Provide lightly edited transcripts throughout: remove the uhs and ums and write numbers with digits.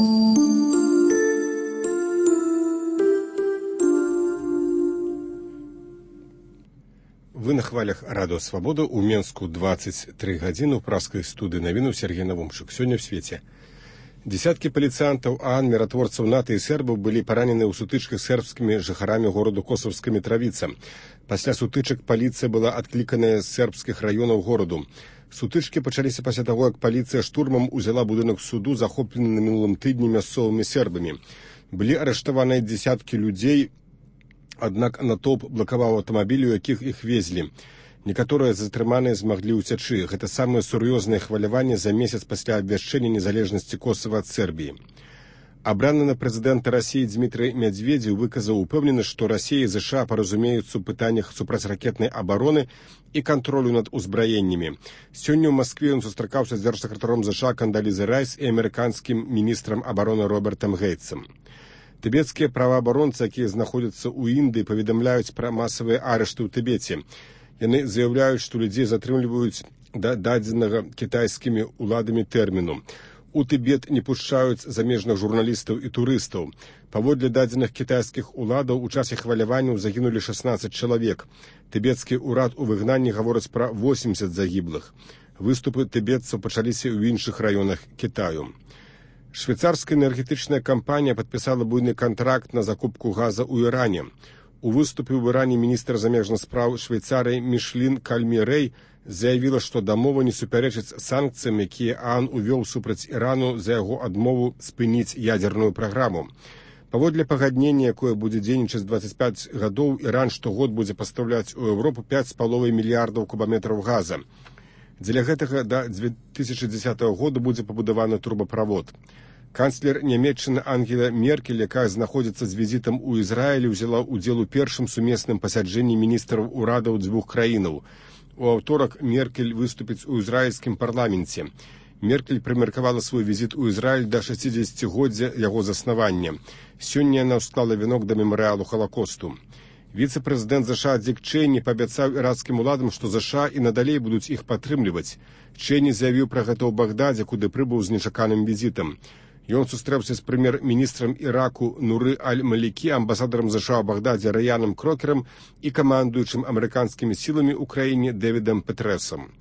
Вы на хвалях Радио Свобода. У Менску 23 гадзіны ў праскай студыі навінаў Сергей Навумчык. Сёння ў свеце. Десяткі паліцыянтаў ААН, міратворцаў НАТО і сербаў былі паранены ў сутычках з сербскімі жыхарамі гораду Косовска Мітравіца. Пасля сутычак паліцыя была адкліканая з сербскіх раёнаў гораду. Сутычкі пачаліся пасля таго, як паліцыя штурмам узяла будынак суду, захоплены на мінулым тыдні мясцовымі сербамі. Былі арыштаваныя дзесяткі людзей, аднак натоўп блакаваў аўтамабілі, у якіх іх везлі. Некаторыя затрыманыя змаглі ўцячы. Гэта самае сур'ёзнае хваляванне за месяц пасля абвяшчэння незалежнасці Косава ад Сербіі. Абраны на прэзідэнта Расіі Дмітрый Медведзеў выказаў упэўненасць, што Расія і ЗША паразумеюцца ў пытаннях супрацьракетнай абароны і кантролю над узбраеннямі. Сёння ў Маскве ён сустракаўся з дзяржсакратаром ЗША Кандалізай Райс і амерыканскім міністрам абароны Робертам Гейтсам. Тыбецкія праваабаронцы, якія знаходзяцца ў Індыі, паведамляюць пра масавыя арышты ў Тыбеце. Яны заяўляюць, што людзей затрымліваюць да дадзенага кітайскімі ўладамі тэрміну. У Тыбет не пушчаюць замежных журналістаў і турыстаў. Паводле дадзеных кітайскіх уладаў у часе хваляванняў загінулі 16 чалавек. Тыбецкі ўрад у выгнанні гаворыць пра 80 загіблых. Выступы тыбетцаў пачаліся ў іншых раёнах Кітаю. Швейцарская энергетычная кампанія падпісала буйны кантракт на закупку газа ў Іране. У выступе ў Іране міністр замежных спраў Швейцарыі Мішлін Кальмі-Рэй заявіла, што дамова не супярэчыць санкцыям, якія ААН увёў супраць Ірану за яго адмову спыніць ядерную праграму. Паводле пагаднення, якое будзе дзейнічаць 25 гадоў, Іран штогод будзе пастаўляць у Еўропу 5,5 мільярдаў кубаметраў газа. Дзеля гэтага да 2010 года будзе пабудаваны трубаправод. Канцлер Нямецчыны Ангела Меркель, якая знаходзіцца з візітам у Ізраілі, ўзяла ўдзел у першым сумесным пасяджэнні міністраў урадаў дзвюх краінаў. У аўторак Меркель выступіць у ізраільскім парламенце. Меркель прымеркавала свой візіт у Ізраіль да 60-годдзя яго заснавання. Сёння яна ўсклала венок да мемарыялу Халакосту. Віцэ-прэзідэнт ЗША Дик Чейні паабяцаў іракскім уладам, што ЗША і надалей будуць іх падтрымліваць. Чейні заявіў пра гэта ў Багдадзе, куды прыбыў з нечаканым візітам. Ён сустрэўся з прэм'ер-міністрам Іраку Нуры Аль-Малікі, амбасадарам ЗША ў Багдадзе Раяном Крокерам і камандуючым амерыканскімі сіламі ў краіне Дэвідам Петрэсам.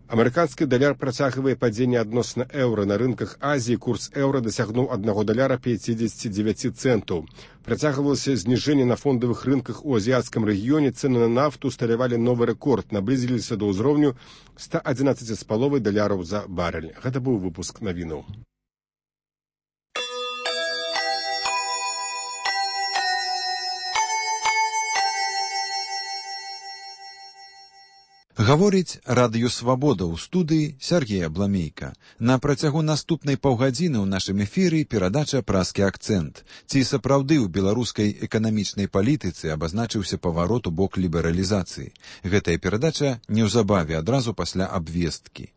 Амерыканскі даляр працягвае падзенне адносна еўра. На рынках Азіі курс еўра дасягнуў $1.59. Працягвалася зніжэнне на фондавых рынках у азіяцкім рэгіёне. Цэны на нафту усталявалі новы рэкорд, наблізіліся да ўзроўню $111,5 за барэль. Гэта быў выпуск навінаў. Гаворыць Радыё Свабода ў студыі Сергея Бламейка. На працягу наступнай паўгадзіны ў нашым эфіры перадача «Праскі акцэнт». Ці сапраўды ў беларускай эканамічнай палітыцы абазначыўся паварот у бок лібералізацыі. Гэтая перадача неўзабаве адразу пасля абвесткі.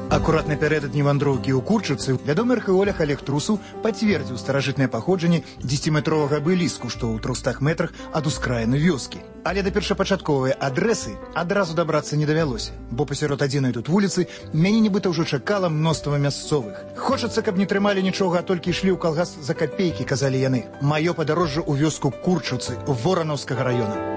Акурат напярэдадні вандроўкі ў Курчыцы вядомы археолог Олег Трусаў пацвердзіў старажытнае паходжанне 10-метровага абеліску, што ў 300 метрах ад ускраіны вёскі. Але да першапачатковай адрэсы адразу дабрацца не давялося, бо пасярод адзінай тут вуліцы мяне нібыта ўжо чакала мноства мясцовых. Хочацца, каб не трымалі нічога, а толькі ішлі ў калгас за капейкі, казалі яны. Маё падарожжа ў вёску Курчыцы, Воранаўскага раёна.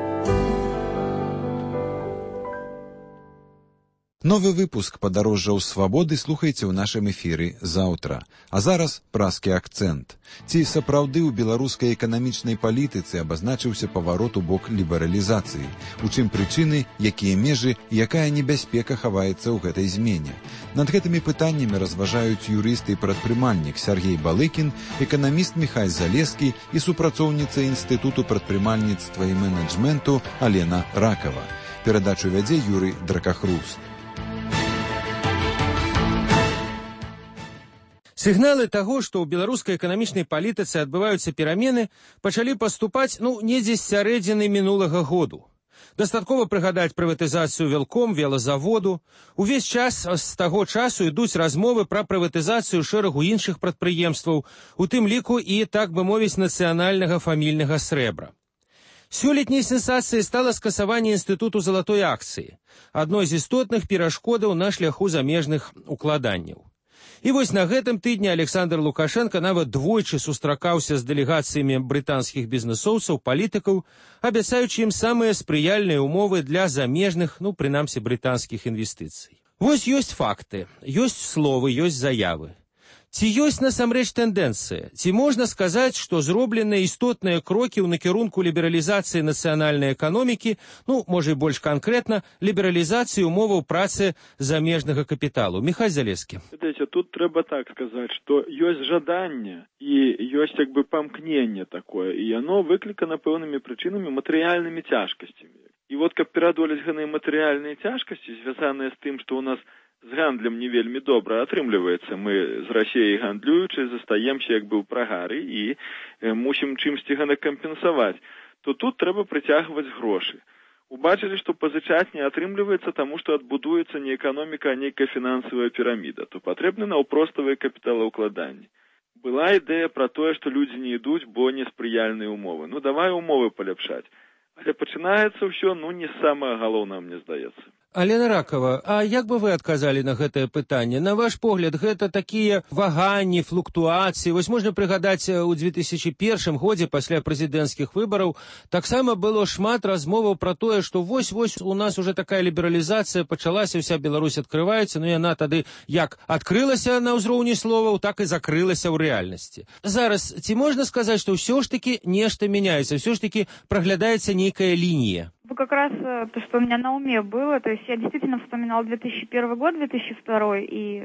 Новы выпуск «Падарожжаў свабоды» слухайце ў нашым эфіры заўтра. А зараз праскі акцэнт. Ці сапраўды ў беларускай эканамічнай палітыцы абазначыўся паварот у бок лібералізацыі? У чым прычыны, якія межы і якая небяспека хаваецца ў гэтай змене? Над гэтымі пытаннямі разважаюць юрыст і прадпрымальнік Сергей Балыкін, эканаміст Міхай Залескі і супрацоўніца Інстытуту прадпрымальніцтва і менеджменту Алена Ракава. Перадачу вядзе Юрый Дракахруст. Сігналы таго, што ў беларускай эканамічнай палітыцы адбываюцца перамены, пачалі паступаць, недзе з сярэдзіны мінулага году. Дастаткова прыгадаць прыватызацыю Велком, велазаводу. Увесь час з таго часу ідуць размовы пра прыватызацыю шэрагу іншых прадпрыемстваў, у тым ліку і, так бы мовіць, нацыянальнага фамільнага срэбра. Сёлетняй сенсацыяй стала скасаванне інстытуту залатой акцыі, адной з істотных перашкодаў на шляху замежных укладанняў. І вось на гэтым тыдні Александр Лукашенко нават двойчы сустракаўся з дэлегацыямі брытанскіх бізнэсоўцаў, палітыкаў, абяцаючы ім самыя спрыяльныя ўмовы для замежных, прынамсі, брытанскіх інвестыцый. Вось ёсць факты, ёсць словы, ёсць заявы. Ці ёсць насамрэч тэндэнцыя? Ці можна сказаць, што зробленыя істотныя крокі ў накірунку лібералізацыі нацыянальнай эканомікі, можа і больш канкрэтна, лібералізацыі умоваў працы замежнага капіталу? Михайло Залескі. Тут трэба так сказаць, што ёсць жаданне і ёсць памкненне такое, і яно выклікана пэўнымі прычынамі, матэрыяльнымі цяжкасцямі. І каб пераадолець гэтыя матэрыяльныя цяжкасці, звязаныя з тым, што ў нас з гандлем не вельмі добра атрымліваецца. Мы з Расіяй гандлюючы застаемся ў прагары і мусім чымсьці кампенсаваць. То тут трэба прыцягваць грошы. Убачылі, што пазычаць не атрымліваецца, таму што адбудуецца не эканоміка, а нейкая фінансавая піраміда. То патрэбны наўпроставыя капіталаўкладанні. Была ідэя пра тое, што людзі не ідуць, бо неспрыяльныя умовы. Давай умовы паляпшаць. Але пачынаецца ўсё, не самае галоўнае, мне здаецца. Алена Ракова, а як бы вы адказалі на гэтае пытанне? На ваш погляд, гэта такія ваганні, флуктуацыі? Вось можна прыгадаць, у 2001 годзе пасля прэзідэнцкіх выбараў таксама было шмат размоваў пра тое, што вось-вось у нас уже такая лібералізацыя пачалася, вся Беларусь адкрываецца, яна тады як адкрылася на ўзроўні словаў, так і закрылася ў рэальнасці. Зараз, ці можна сказаць, што ўсё ж такі нешта мяняецца, ўсё ж такі праглядаецца нейкая лінія? Как раз то, что у меня на уме было, то есть я действительно вспоминала 2001 год, 2002 и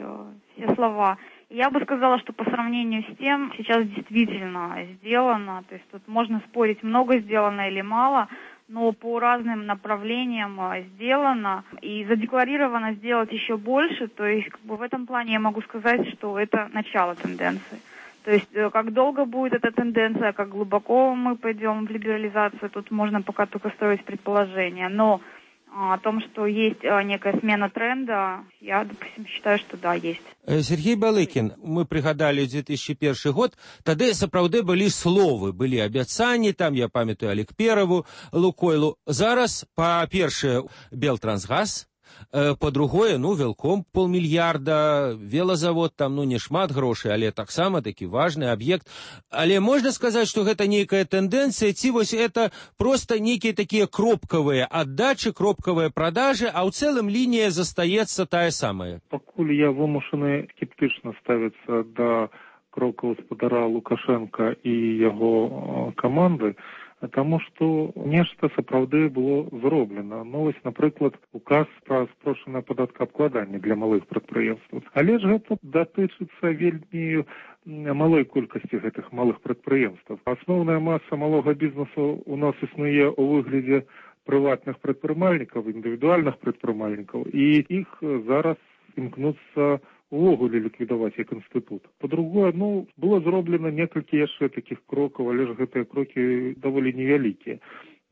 все слова. И я бы сказала, что по сравнению с тем сейчас действительно сделано, то есть тут можно спорить, много сделано или мало, но по разным направлениям сделано и задекларировано сделать еще больше, то есть в этом плане я могу сказать, что это начало тенденции. То есть, как долго будет эта тенденция, как глубоко мы пойдем в либерализацию, тут можно пока только строить предположения. Но о том, что есть некая смена тренда, я, допустим, считаю, что да, есть. Сергей Балыкин, мы пригадали 2001 год, тады сапраўды былі словы, былі абяцанні, там я памятаю Алікпераву, Лукойлу. Зараз, па-першае, Белтрансгаз, по-другое, Велком 500 мільярда, велозавод там, не шмат грошай, але таксама такі важны аб'ект. Але можна сказаць, што гэта нейкая тэндэнцыя, ці вось это проста нейкія такія кропкавыя аддачы, кропкавыя прадажы, а ў цэлым лінія застаецца тая самая? Пакуль я вымушаны скептычна ставіцца да крокаў гаспадара Лукашенка і яго каманды, тому што нешта сапраўды было зроблена. Вось, напрыклад, указ пра спрошчанае падаткаабкладанне для малых прадпрыемстваў. Але ж гэта датычыцца вельмі малой колькасці гэтых малых прадпрыемстваў. Асноўная маса малога бізнесу у нас існуе ў выглядзе прыватных прадпрымальнікаў, індывідуальных прадпрымальнікаў, і іх зараз імкнуцца увогуле ліквідаваць як інстытут. Па-другое, было зроблена некалькі яшчэ такіх крокаў, але ж гэтыя крокі даволі невялікія.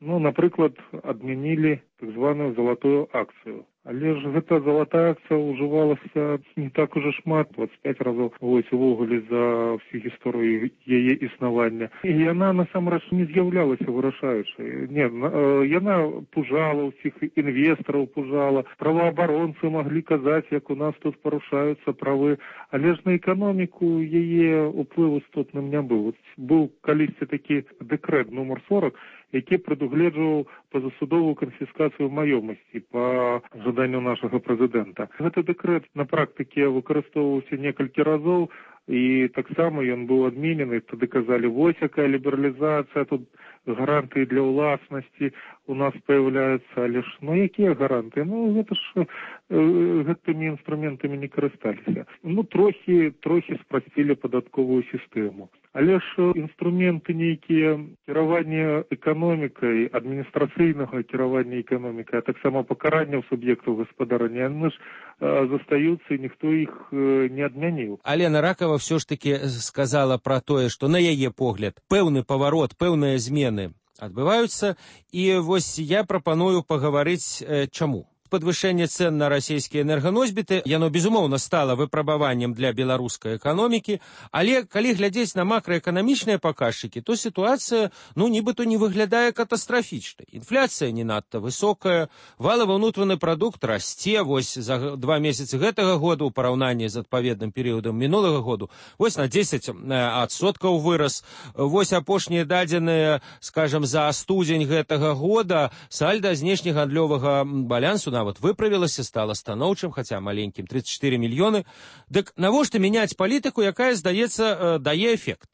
Напрыклад, адмянілі так званую залатую акцыю. Але ж гэта залатая акцыя ўжывалася не так уже шмат, 25 разоў увогуле за всю гісторыю яе існавання. І яна насамрэч не з'яўлялася вырашаючай. Не, яна пужала ўсіх інвестараў, пужала. Праваабаронцы маглі казаць, як у нас тут парушаюцца правы. Але ж на эканоміку яе ўплыў істотным не быў. Быў калісьці такі дэкрэт нумар 40, які прадугледжваў пазасудовую канфіскацыю маёмасці па жаданню нашага прэзідэнта. Гэты дэкрэт на практыке выкарыстоўваўся некалькі разоў, і таксама ён быў адменены. Тады казалі, вось якая лібералізацыя, тут гарантыі для ўласнасці у нас появляюцца, але ж, якія гарантыі? Гэта ж гэтымі інструментамі не карысталіся. Трохі спрасцілі падатковую сістэму. Але ж інструменты нейкія кіравання эканомікай, адміністрацыйнага кіравання эканомікай, а таксама пакаранняў суб'ектаў гаспадарання, яны ж застаюцца, і ніхто іх не адмяніў. Алена Ракова ўсё ж таки сказала пра тое, што на яе погляд пэўны паварот, пэўныя змены адбываюцца, і вось я прапаную пагаварыць чаму. Падвышэнне цэн на расійскія энерганосьбіты, яно, безумоўна, стала выпрабаваннем для беларускай эканомікі, але калі глядзець на макраэканамічныя паказчыкі, то сітуацыя, нібыта не выглядае катастрафічнай. Інфляцыя не надта высокая, валавы ўнутраны прадукт расце, вось за 2 месяцы гэтага года ў параўнанні з адпаведным перыядам мінулага году, вось на 10% вырас. Вось апошнія дадзеныя, скажам, за студзень гэтага года сальда знешнегандлёвага балансу нават выправілася, стала станоўчым, хаця маленькім, 34 мільёны. Дык навошта мяняць палітыку, якая, здаецца, дае эфект?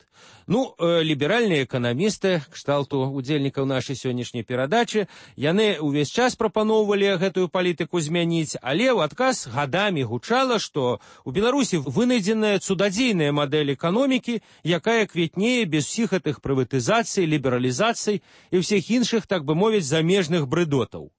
Ліберальныя эканамісты, кшталту удзельнікаў нашай сённяшняй перадачы, яны ўвесь час прапаноўвалі гэтую палітыку змяніць, але ў адказ гадамі гучала, што у Беларусі вынайдзеная цудадзейная мадэль эканомікі, якая квітнее без усіх гэтых прыватызацый, лібералізацый і ўсіх іншых, так бы мовіць, замежных брыдотаў.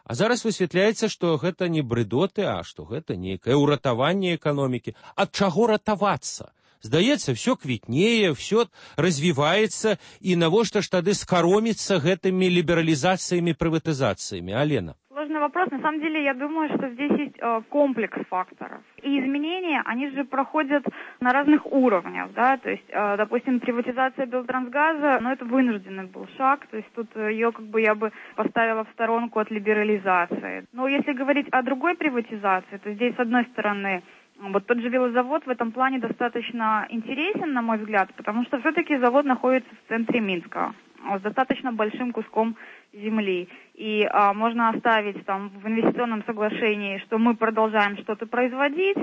А зараз высвятляецца, што гэта не брыдоты, а што гэта нейкае ўратаванне эканомікі. Ад чаго ратавацца? Здаецца, все квітнее, все развіваецца, і навошта ж тады скароміцца гэтымі лібералізацыямі, прыватызацыямі? Алена. Сложный вопрос. На самом деле, я думаю, что здесь есть комплекс факторов. И изменения, они же проходят на разных уровнях, да, то есть, допустим, приватизация Белтрансгаза, это вынужденный был шаг, то есть тут ее я бы поставила в сторонку от либерализации. Но если говорить о другой приватизации, то здесь, с одной стороны, вот тот же велозавод в этом плане достаточно интересен, на мой взгляд, потому что все-таки завод находится в центре Минска, с достаточно большим куском земли. И можно оставить там в инвестиционном соглашении, что мы продолжаем что-то производить,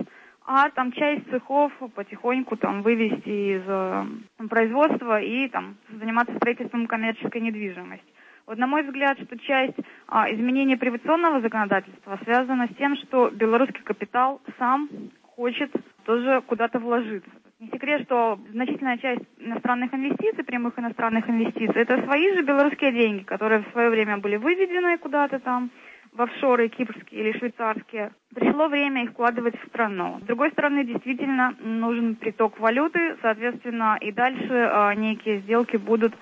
а там часть цехов потихоньку там вывести из производства и там заниматься строительством коммерческой недвижимости. Вот на мой взгляд, что часть изменения приватизационного законодательства связана с тем, что белорусский капитал сам хочет тоже куда-то вложиться. Не секрет, что значительная часть иностранных инвестиций, прямых иностранных инвестиций, это свои же белорусские деньги, которые в свое время были выведены куда-то там в офшоры кипрские или швейцарские. Пришло время их вкладывать в страну. С другой стороны, действительно нужен приток валюты, соответственно, и дальше некие сделки будут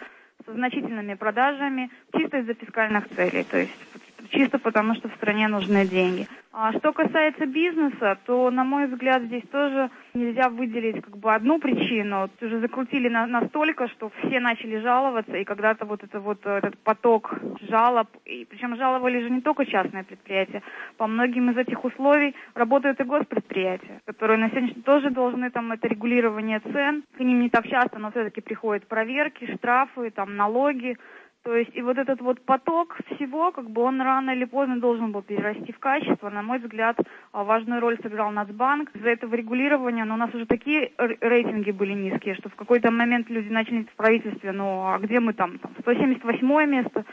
со значительными продажами чисто из-за фискальных целей, то есть чисто потому, что в стране нужны деньги. А что касается бизнеса, то, на мой взгляд, здесь тоже нельзя выделить одну причину. Уже закрутили настолько, что все начали жаловаться, и когда-то этот поток жалоб, и причем жаловали же не только частные предприятия, по многим из этих условий работают и госпредприятия, которые на сегодня тоже должны это регулирование цен. К ним не так часто, но все-таки приходят проверки, штрафы, налоги. То есть и этот поток всего, он рано или поздно должен был перерасти в качество. На мой взгляд, важную роль сыграл Нацбанк. Из-за этого регулирования, у нас уже такие рейтинги были низкие, что в какой-то момент люди начали в правительстве, а где мы там 178 место,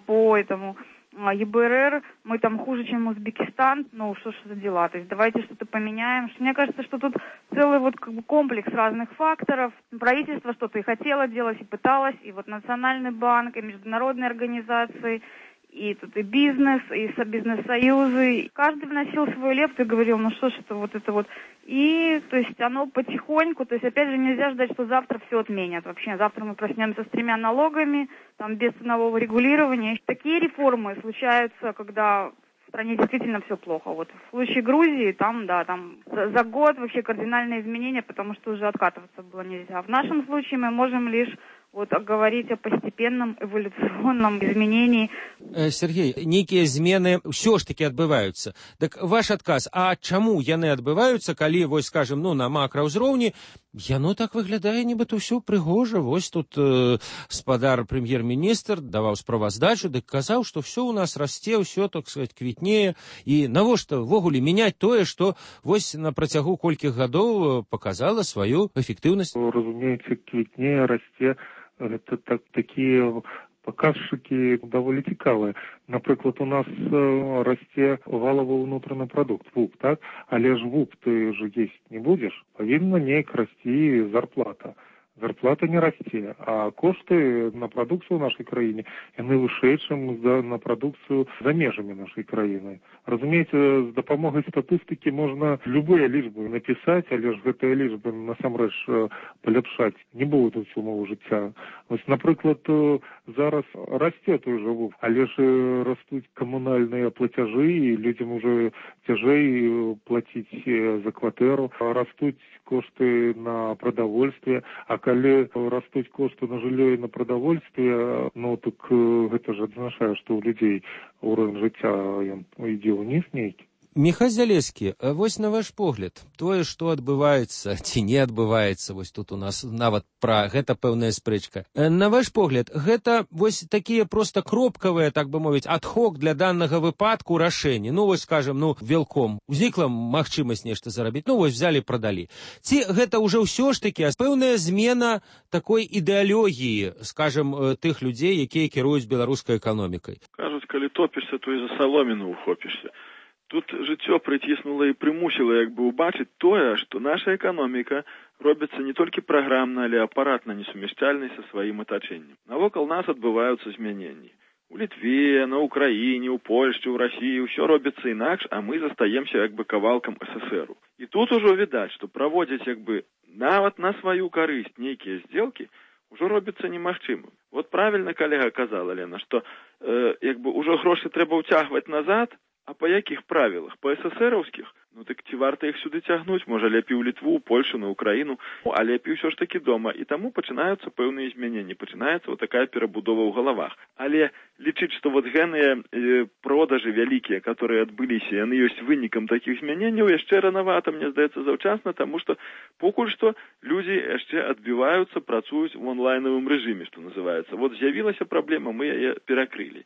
по этому ЕБРР, мы хуже, чем Узбекистан, что ж за дела, то есть давайте что-то поменяем. Мне кажется, что тут целый комплекс разных факторов. Правительство что-то и хотело делать, и пыталось, и Национальный банк, и международные организации, и тут и бизнес, и бизнес-союзы. Каждый вносил свою лепту и говорил, что ж это. И, то есть, оно потихоньку, то есть, опять же, нельзя ждать, что завтра все отменят. Вообще, завтра мы проснемся с 3 налогами, без ценового регулирования. Такие реформы случаются, когда в стране действительно все плохо. В случае Грузии, за год вообще кардинальные изменения, потому что уже откатываться было нельзя. В нашем случае мы можем лишь говорить о постепенном эволюционном изменении. Сергей, нейкія змены ўсё ж таки адбываюцца. Так ваш адказ, а чаму яны адбываюцца, калі, скажем, на макраўзроўні, яно так выглядае, нібыта ўсё прыгожа. Тут спадар прэм'ер-міністр даваў справаздачу, дык казаў, што ўсё у нас расце, ўсё, так сказать, квітнее. І навошта ввогуле мяняць тое, што на працягу колькіх гадоў показала сваю эфектыўнасць? Разумеется, квітнее, расце. Это такие показчики довольно цікавые. Наприклад, у нас расце валовый внутренний продукт, ВУП, так? Але ж ВУП ты же есть не будешь, повинна неяк расти зарплата. зарплата не расце, а кошты на прадукцыю ў нашай краіне яны вышэй, чым на прадукцыю за межамі нашай краіны. Разумееце, з дапамогай статыстыкі можна любыя лічбы напісаць, але ж гэтыя лічбы насамрэч паляпшаць не будуць умовы жыцця. Вось, напрыклад, зараз расце той жа вух, але ж растуць камунальныя плацяжы, і людзям уже цяжэй плаціць за кватэру, растуць кошты на прадавольстве, а калі растуць кошты на жыллё і на прадавольстве, ну так гэта ж азначае, што ў людзей ўровень жыцця ідзе ўніз нейкі. Міхась Залескі, вось на ваш погляд, тое, што адбываецца ці не адбываецца, вось тут у нас нават пра гэта пэўная спрэчка. На ваш погляд, гэта вось такія проста кропкавыя, так бы мовіць, адхок для данага выпадку рашэнні. Ну вось, скажем, велком узнікла магчымасць нешта зарабіць, вось взялі, прадалі. Ці гэта ўжо ўсё ж такі пэўная змена такой ідэалогіі, скажем, тых людзей, якія кіруюць беларускай эканомікай? Кажуць, калі топішся, то і за саломіну ухопішся. Тут жыццё прыціснула і прымусіла убачыць тое, што наша эканоміка робіцца не толькі праграмна, але апаратна несумяшчальнай са сваім атачэннем. Навокал нас адбываюцца змяненні. У Літве, на Украіне, у Польшчы, у Расіі ўсё робіцца інакш, а мы застаемся кавалкам СССРу. І тут ужо відаць, што праводзіць нават на сваю карысць нейкія здзелкі ўжо робіцца немагчымым. Вот правільна калега казала, Лена, што ўжо грошы трэба ўцягваць назад. А па якіх правілах? Па СССРаўскіх? Так ці варта іх сюды цягнуць? Можа, лепей у Літву, у Польшу, на Украіну, а лепей усё ж такі дома. І таму пачынаюцца пэўныя змяненні, пачынаецца такая перабудова ў галавах. Але лічыць, што гэныя продажы вялікія, которые адбыліся, яны ёсць вынікам такіх змяненняў, яшчэ ранавата, мне здаецца, заўчасна, таму што покуль што людзі яшчэ адбіваюцца, працуюць у онлайнавым рэжыме, што называецца. Вот з'явілася праблема, мы яе перакрылі.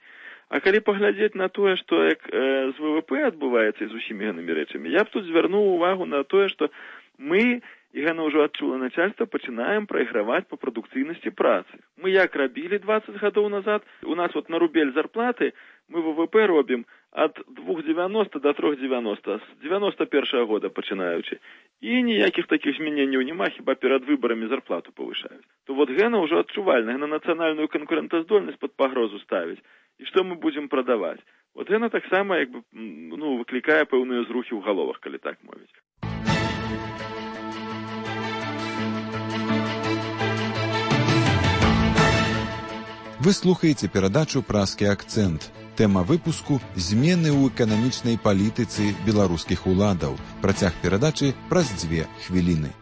А калі паглядзець на тое, што з ВВП адбываецца і з усімі гэтымі рэчамі, я б тут звярнуў увагу на тое, што мы, і гэта ўжо адчула начальства, пачынаем прайграваць па прадукцыйнасці працы. Мы як рабілі 20 гадоў назад, у нас на рубель зарплаты мы ВВП робім ад 2,90 до 3,90, з 91-го года пачынаючы. І ніякіх такіх змяненняў няма, хіба перад выбарамі зарплату павышаюць. То гэта ўжо адчувальна, гэта нацыянальную канкурэнтаздольнасць пад пагрозу ставіць. І што мы будзем прадаваць? Гэта таксама выклікае пэўныя зрухі ў галовах, калі так мовіць. Вы слухаеце перадачу «Празкі акцэнт». Тэма выпуску «Змены ў эканамічнай палітыцы беларускіх уладаў». Працяг перадачы праз 2 хвіліны.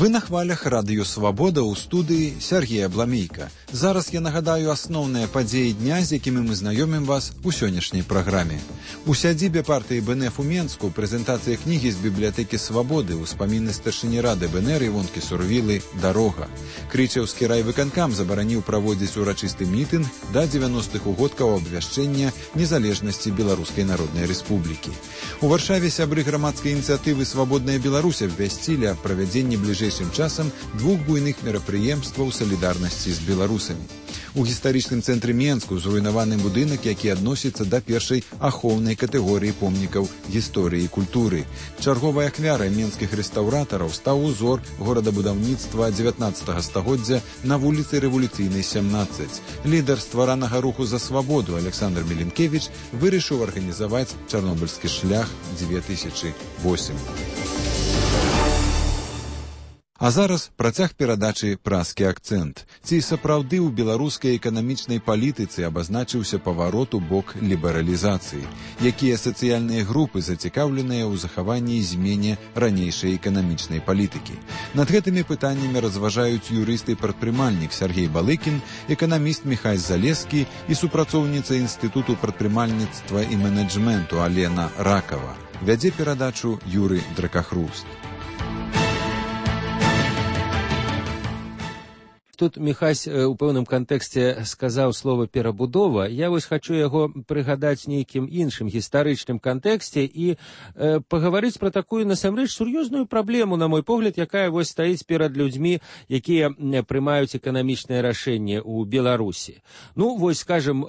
Вы на хвалях радыё «Свабода» ў студыі Сергея Бламейка. Зараз я нагадаю асноўныя падзеі дня, з якімі мы знаёмім вас у сённяшняй праграме. У сядзібе партыі БНФ у Менску прэзентацыя кнігі з бібліятэкі «Свабоды» ўспаміны старшыні рады БНР Івонкі Сурвілы «Дарога». Крычаўскі райвыканкам забараніў праводзіць урачысты мітынг да 90-х угодкаў абвяшчэння незалежнасці Беларускай Народнай Рэспублікі. У Варшаве сябры грамадскай ініцыятывы «Свабодная Беларусь» абвясцілі аб правядзенні бліжэйшым часам 2 буйных мерапрыемстваў салідарнасці з беларусамі. У гістарычным цэнтры Менску зруйнаваны будынак, які адносіцца да першай ахоўнай катэгорыі помнікаў гісторыі і культуры. Чарговай ахвярай менскіх рэстаўратараў стаў узор горадабудаўніцтва 19 стагоддзя на вуліцы Рэвалюцыйнай 17. Лідар стваранага руху за свабоду Александр Меленкевіч вырашыў арганізаваць чарнобыльскі шлях 2008. А зараз працяг перадачы «Празкі акцэнт». Ці сапраўды ў беларускай эканамічнай палітыцы абазначыўся паварот у бок лібералізацыі? Якія сацыяльныя групы зацікаўленыя ў захаванні і змене ранейшай эканамічнай палітыкі? Над гэтымі пытаннямі разважаюць юрыст і прадпрымальнік Сергей Балыкін, эканаміст Міхась Залескі і супрацоўніца Інстытуту прадпрымальніцтва і менеджменту Алена Ракава. Вядзе перадачу Юры Дракахруст. тут Міхась у пэўным кантэксце сказаў слова перабудова. Я вось хачу яго прыгадаць нейкім іншым гістарычным кантэксце і пагаварыць пра такую насамрэч сур'ёзную праблему, на мой погляд, якая вось стаіць перад людзьмі, якія прымаюць эканамічнае рашэнне ў Беларусі. Ну, вось, скажем,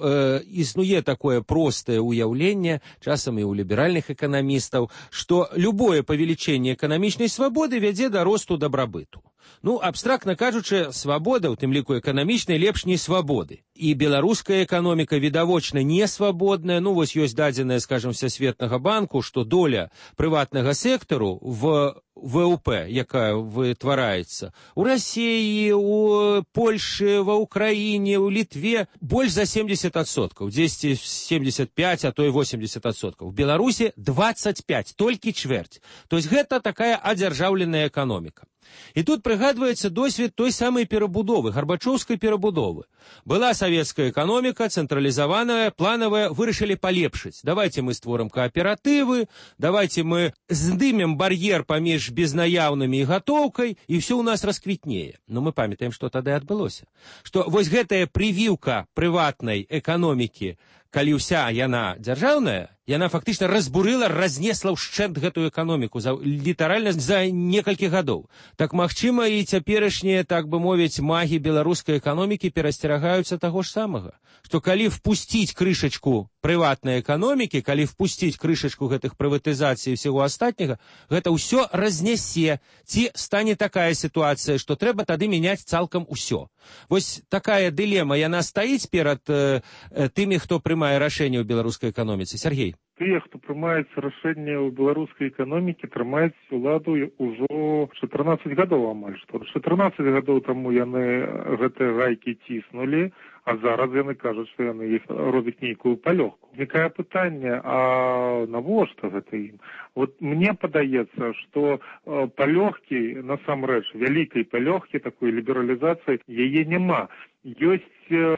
існуе такое простае ўяўленне, часам і ў ліберальных эканамістаў, што любое павелічэнне эканамічнай свабоды вядзе да росту дабрабыту. Ну, абстрактна кажучы, свабода, у тым ліку эканамічнай, лепш не свабоды. І беларуская эканоміка відавочна не свабодная. Ну, вось ёсць дадзеная, скажем, Всесветнага банку, што доля прыватнага сектару в ВВП, якая вытвараецца у Расіі, у Польшы, ва Ўкраіне, у Літве, больш за 70%, дзесьці 75, а то і 80%. В Беларусі 25, толькі чвэрць. То есть гэта такая адзяржаўленая эканоміка. І тут прыгадваецца досвед той самай перабудовы, гарбачоўскай перабудовы. Была савецкая эканоміка, цэнтралізаваная, планавая, вырашылі палепшыць. Давайте мы створым кааператывы, давайте мы здымем бар'ер паміж безнаяўнымі і гатоўкай, і ўсё ў нас расквітнее. Но мы памятаем, што тады адбылося. Што вось гэтая прывіўка прыватнай эканомікі, калі ўся яна дзяржаўная, яна фактычна разбурыла, разнесла ўшчэнт гэтую эканоміку літаральна за некалькі гадоў. Так, магчыма, і цяперашнія, так бы мовіць, магі беларускай эканомікі перасцерагаюцца таго ж самага. Што калі впусціць крышачку прыватнай эканомікі, калі впусціць крышачку гэтых прыватызацый і всего астатняга, гэта ўсё разнясе. Ці стане такая сітуацыя, што трэба тады мяняць цалкам усё. Вось такая дылема, яна стаіць перад тымі, хто прымае рашэнне ў беларускай эканоміцы. Сергей. Тыя, хто прымаецца рашэнне ў беларускай эканомікі, трымаюць уладу ўжо 14 гадоў амаль што. 14 гадоў таму яны гэтыя гайкі ціснулі, а зараз яны кажуць, што яны іх робяць нейкую палёгку. Узнікае пытанне, а навошта гэта ім? Вот мне падаецца, што палёгкі, насамрэч, вялікай палёгкі, такой лібералізацыі, яе няма. Ёсць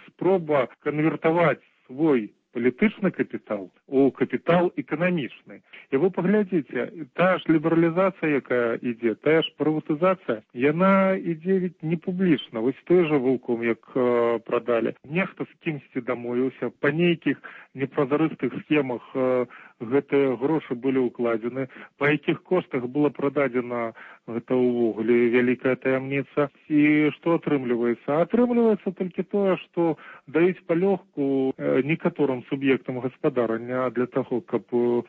спроба канвертаваць свой палітычны капітал у капітал эканамічны. І вы паглядзіце, тая ж лібералізацыя, якая ідзе, тая ж прыватызацыя, яна ідзе ведь не публічна. Вось той жа Вулком, як прадалі. Нехта з кімсьці дамовіўся, па нейкіх непразарыстых схемах гэтыя грошы былі ўкладзены, па якіх коштах была прададзена гэта ўвогуле вялікая таямніца. І што атрымліваецца? Атрымліваецца толькі тое, што даюць палёгку некаторым суб'ектам гаспадарання для таго, каб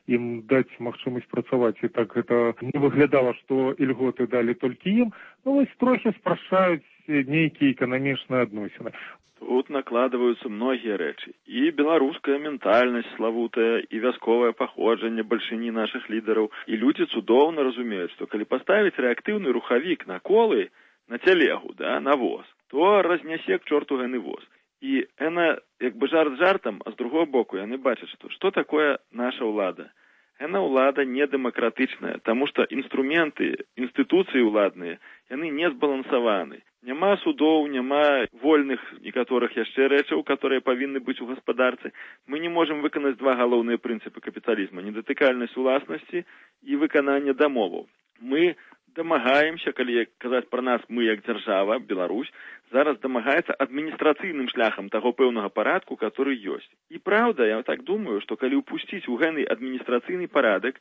ім даць магчымасць працаваць. І так гэта не выглядала, што ільготы далі толькі ім. Ну, вось трохі спрашчаюць нейкія эканамічныя адносіны. Тут накладваюцца многія рэчы. І беларуская ментальнасць славутая, і вясковае паходжанне бальшыні нашых лідараў. І людзі цудоўна разумеюць, што калі паставіць рэактыўны рухавік на колы, на цялегу, да, на воз, то разнясе к чорту гэны воз. І яна, як бы жарт жартам, а з другого боку яны бачаць, што такое наша ўлада. Яна ўлада недэмакратычная, таму што інструменты, інстытуцыі ўладныя, яны не збалансаваны. Няма судоў, няма вольных некаторых яшчэ рэчаў, которые павінны быць у гаспадарцы. Мы не можам выканаць два галоўныя прынцыпы капіталізма: недатыкальнасць уласнасці і выкананне дамоваў. Мы дамагаемся, калі казаць пра нас, мы як дзяржава, Беларусь, зараз дамагаецца адміністрацыйным шляхам таго пэўнага парадку, который ёсць. І праўда, я так думаю, што калі ўпусціць у гэны адміністрацыйны парадак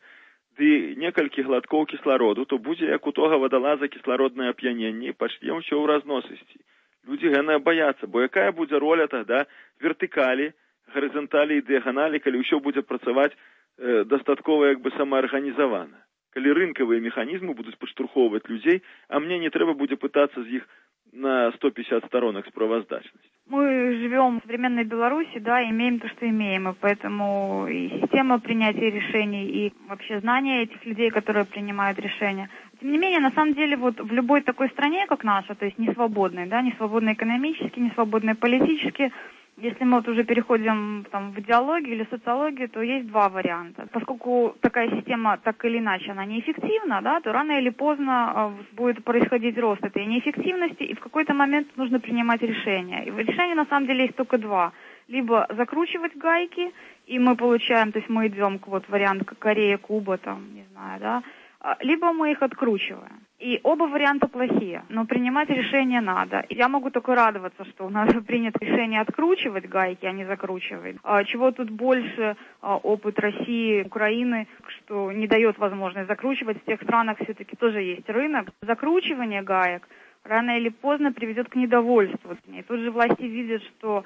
ды некалькі глаткоў кіслароду, то будзе як у тога вадалаза кіслароднае ап'яненне і пачне ўсё ў разносісці. Людзі гэнае баяцца, бо якая будзе роля тагда вертыкалі, гарызанталі і дыяганалі, калі ўсё будзе працаваць дастаткова як бы самаарганізавана. Калі рынкавыя механізмы будуць падштурхоўваць людзей, а мне не трэба будзе пытацца з іх на 150 сторонок справоздачности. Мы живем в современной Беларуси, да, имеем то, что имеем, и поэтому и система принятия решений, и вообще знания этих людей, которые принимают решения. Тем не менее, на самом деле, вот в любой такой стране, как наша, то есть не свободной, да, не свободной экономически, не свободной политически, если мы вот уже переходим там, в идеологию или социологию, то есть два варианта. Поскольку такая система так или иначе она неэффективна, да, то рано или поздно будет происходить рост этой неэффективности, и в какой-то момент нужно принимать решения. И решения на самом деле есть только два. Либо закручивать гайки, и мы получаем, то есть мы идем к вот варианту Корея, Куба, там, не знаю, да, либо мы их откручиваем. И оба варианта плохие, но принимать решение надо. Я могу только радоваться, что у нас принято решение откручивать гайки, а не закручивать. Чего тут больше опыт России, Украины, что не дает возможность закручивать. В тех странах все-таки тоже есть рынок. Закручивание гаек рано или поздно приведет к недовольству. И тут же власти видят, что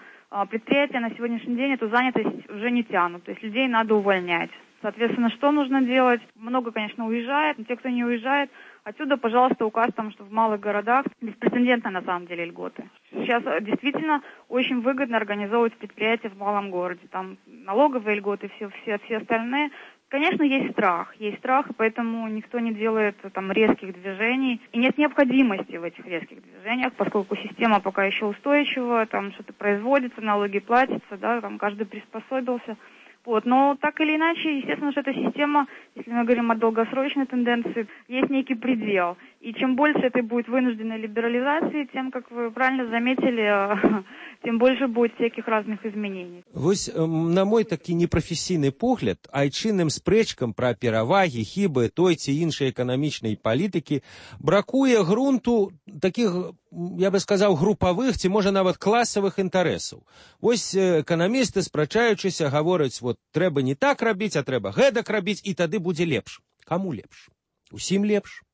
предприятия на сегодняшний день эту занятость уже не тянут. То есть людей надо увольнять. Соответственно, что нужно делать? Много, конечно, уезжает, но те, кто не уезжает, отсюда, пожалуйста, указ там, что в малых городах беспрецедентно на самом деле льготы. Сейчас действительно очень выгодно организовывать предприятия в малом городе. Там налоговые льготы, все остальные. Конечно, есть страх, и поэтому никто не делает там резких движений. И нет необходимости в этих резких движениях, поскольку система пока еще устойчива, там что-то производится, налоги платятся, да, там каждый приспособился. Вот. Но так или иначе, естественно, что эта система, если мы говорим о долгосрочной тенденции, есть некий предел. И чем больше этой будет вынужденной либерализации, тем, как вы правильно заметили, тем больше будет всяких разных изменений. Вось, на мой такі непрафесійны погляд, айчынным спрэчкам пра перавагі, хібы той ці іншай эканамічнай палітыкі бракуе грунту такіх, я бы сказаў, групавых ці, можа, нават класавых інтарэсаў. Вось эканамісты, спрачаючыся, гавораць, вот, трэба не так рабіць, а трэба гэтак рабіць, і тады будзе лепш. Каму лепш? Усім лепш?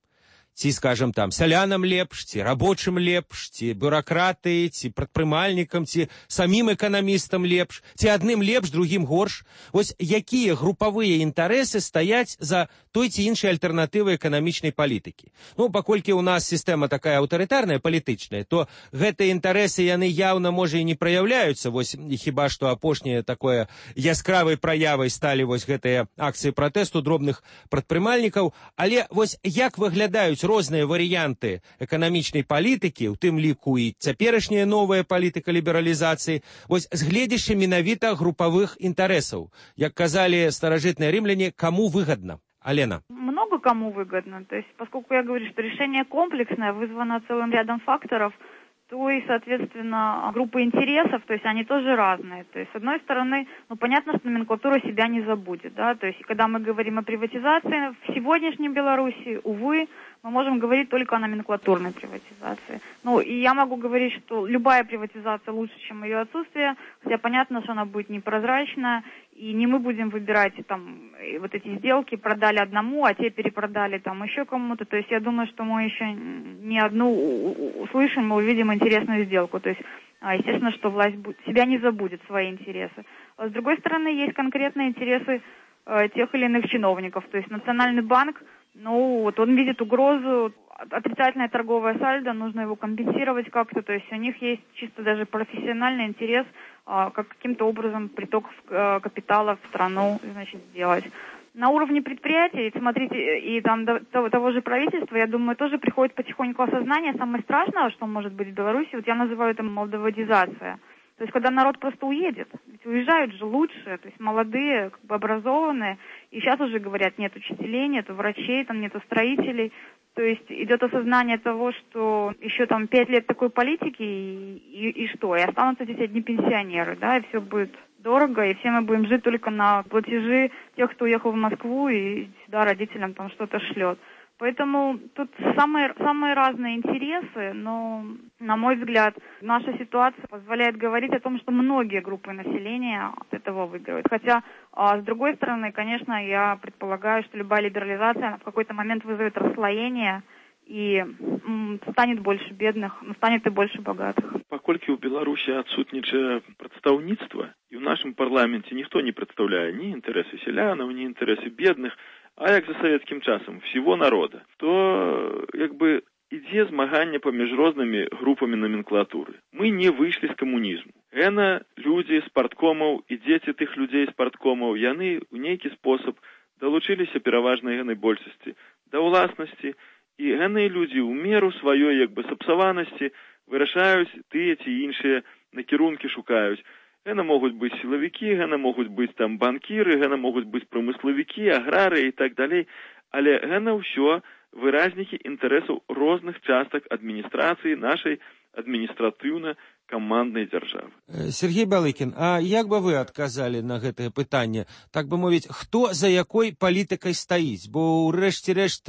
Ці, скажем, там, сялянам лепш, ці рабочым лепш, ці бюракраты, ці прадпрымальнікам, ці самім эканамістам лепш, ці адным лепш, другім горш. Вось якія групавыя інтарэсы стаяць за той ці іншай альтэрнатывай эканамічнай палітыкі. Ну, паколькі ў нас сістэма такая аўтарытарная, палітычная, то гэтыя інтарэсы, яны яўна, можа, і не праяўляюцца. Вось хіба што апошняе такое яскравай праявай сталі вось гэтыя акцыі пратэсту дробных прадпрымальнікаў. Але вось як выглядаюць розныя варыянты эканамічнай палітыкі, у тым ліку і цяперашняя новая палітыка лібералізацыі, вось з гледзяча менавіта групавых інтарэсаў. Як казалі старажытныя рымляне, каму выгодно? Алена. Много кому выгодно. То есть, поскольку я говорю, что решение комплексное, вызвано целым рядом факторов, то и, соответственно, группы интересов, то есть они тоже разные. То есть, с одной стороны, ну, понятно, что номенклатура себя не забудет, да, то есть, когда мы говорим о приватизации, в сегодняшней Беларуси, увы, мы можем говорить только о номенклатурной приватизации. Ну, и я могу говорить, что любая приватизация лучше, чем ее отсутствие, хотя понятно, что она будет непрозрачная, и не мы будем выбирать там вот эти сделки, продали одному, а те перепродали там еще кому-то. То есть я думаю, что мы еще не одну услышим, мы увидим интересную сделку. То есть, естественно, что власть себя не забудет, свои интересы. А с другой стороны, есть конкретные интересы тех или иных чиновников. То есть Национальный банк, ну, вот он видит угрозу, отрицательное торговое сальдо, нужно его компенсировать как-то, то есть у них есть чисто даже профессиональный интерес, как каким-то образом приток капитала в страну, значит, сделать. На уровне предприятий, смотрите, и там того же правительства, я думаю, тоже приходит потихоньку осознание. Самое страшное, что может быть в Беларуси, вот я называю это молдаводизация. То есть, когда народ просто уедет, ведь уезжают же лучшие, то есть молодые, как бы образованные, и сейчас уже говорят, нет учителей, нет врачей, там нету строителей. То есть идет осознание того, что еще там 5 лет такой политики, и что? И останутся здесь одни пенсионеры, да, и все будет дорого, и все мы будем жить только на платежи тех, кто уехал в Москву и сюда родителям там что-то шлет. Поэтому тут самые разные интересы, но, на мой взгляд, наша ситуация позволяет говорить о том, что многие группы населения от этого выигрывают. Хотя, с другой стороны, конечно, я предполагаю, что любая либерализация она в какой-то момент вызовет расслоение, и станет больше бедных, но станет и больше богатых. Паколькі ў Беларусі адсутнічае прадстаўніцтва, і ў нашым парламенце ніхто не прадстаўляе ні інтарэсы сялянаў, ні інтарэсы бедных, а як за савецкім часам, всего народа, то як бы ідзе змаганне паміж рознымі групамі номенклатуры. Мы не выйшлі з камунізму. Гэна людзі з парткомаў і дзеці тых людзей з парткомаў, яны ў нейкі спосаб далучыліся пераважнай гэнай большасці да ўласнасці, і гэныя людзі ў меру сваёй як бы сапсаванасці вырашаюць тыя ці іншыя накірункі шукаюць. Гэта могуць быць сілавікі, гэта могуць быць там банкіры, гэта могуць быць прамыславікі, аграры і так далей, але гэта ўсё выразнікі інтарэсаў розных частак адміністрацыі нашай адміністратыўна-каманднай дзяржавы. Сергей Балыкін, а як бы вы адказалі на гэтае пытанне? Так бы мовіць, хто за якой палітыкай стаіць? Бо, ўрэшце рэшт,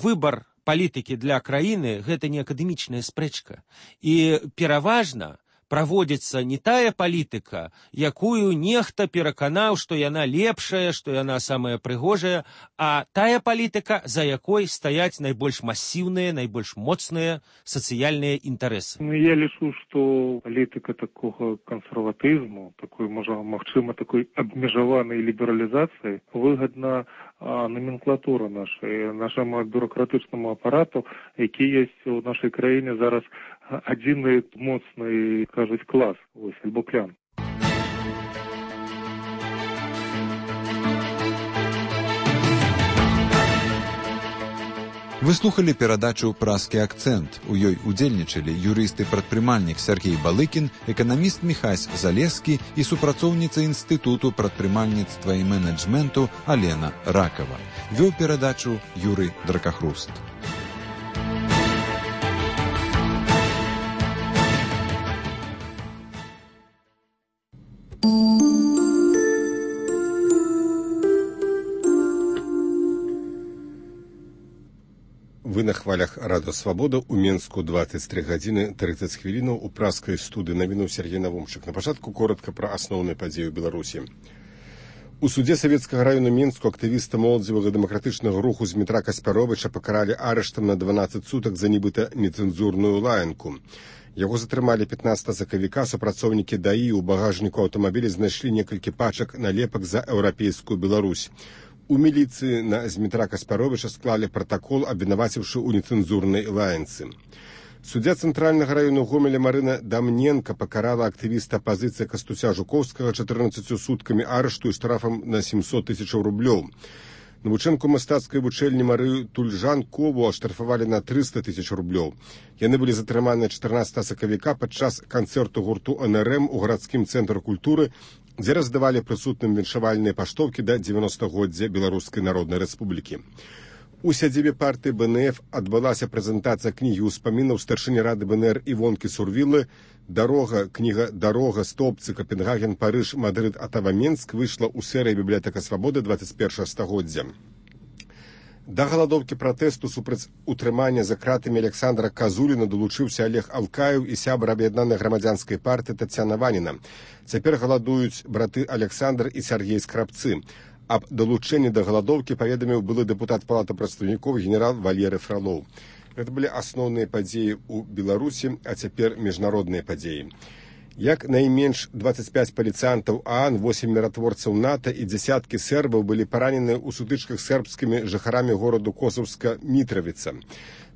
выбар палітыкі для краіны гэта не акадэмічная спрэчка. І пераважна праводзіцца не тая палітыка, якую нехта пераканаў, што яна лепшая, што яна самая прыгожая, а тая палітыка, за якой стаяць найбольш масіўныя, найбольш моцныя сацыяльныя інтарэсы. Я лічу, што палітыка такога кансерватызму, такой, магчыма, такой абмежаванай лібералізацыі выгадна номенклатура нашаму бюрократычнаму апарату, які ёсць у нашай краіне зараз адзіны моцны, кажуць, клас, альбо клян. Вы слухали перадачу «Празкі акцэнт». У ёй удзельнічалі юрыст-прадпрымальнік Сергей Балыкін, эканаміст Міхась Залескі і супрацоўніца Інстытуту прадпрымальніцтва і менеджменту Алена Ракава. Вёў перадачу Юрый Дракахруст. Вы на хвалях Радио Свобода у Менску 23 гадзіны 30 хвілінаў у празкай студыі навінуў Сергей Навумчык. На пачатку коротка пра асноўныя падзеі ў Беларусі. У суде Савецкага району Менску актывіста моладзевага дэмакратычнага руху Змітра Каспяровіча пакаралі арыштам на 12 сутак за нібыта нецэнзурную лаянку. Яго затрымалі 15 сакавіка, супрацоўнікі ДАІ у багажніку аўтамабіля знайшлі некалькі пачак налепак за еўрапейскую Беларусь. У міліцыі на Змітра Каспяровіча склалі пратакол, абвінаваціўшы ў нецэнзурнай лаянцы. Суддзя Цэнтральнага району Гомеля Марына Дамненка пакарала актывіста апазіцыі Кастуся Жукоўскага 14 суткамі арышту і штрафам на 700 000 рублёў. Навучэнку мастацкай вучэльні Марыю Тульжанкову аштрафавалі на 300 000 рублёў. Яны былі затрыманыя 14 сакавіка падчас канцэрту гурту НРМ у гарадскім цэнтры культуры, дзе раздавалі прысутным віншавальныя паштоўкі да 90-годдзя Беларускай Народнай Рэспублікі. У сядзібе партыі БНФ адбылася прэзентацыя кнігі ўспамінаў старшыні рады БНР Івонкі Сурвілы кніга «Дарога, Стопцы, Капенгаген, Парыж, Мадрид, Атава-Менск» выйшла ў серыі «Бібліятэка Свабоды» 21 стагоддзя. Да галадоўкі пратэсту супраць утрымання за кратамі Александра Казуліна далучыўся Олег Алкаев і сябар аб'яднанай грамадзянскай партыі Тацяна Ваніна. Цяпер галадуюць браты Александр і Сергей Скрабцы. Аб далучэнні да галадоўкі паведаміў былы дэпутат Палаты прадстаўнікоў генерал Валерый Фролоў. Гэта былі асноўныя падзеі ў Беларусі, а цяпер міжнародныя падзеі. Як найменш 25 паліцыянтаў ААН, 8 міратворцаў НАТО і дзясяткі сербаў былі паранены ў сутычках сербскімі жыхарамі гораду Косаўска Мітравіца.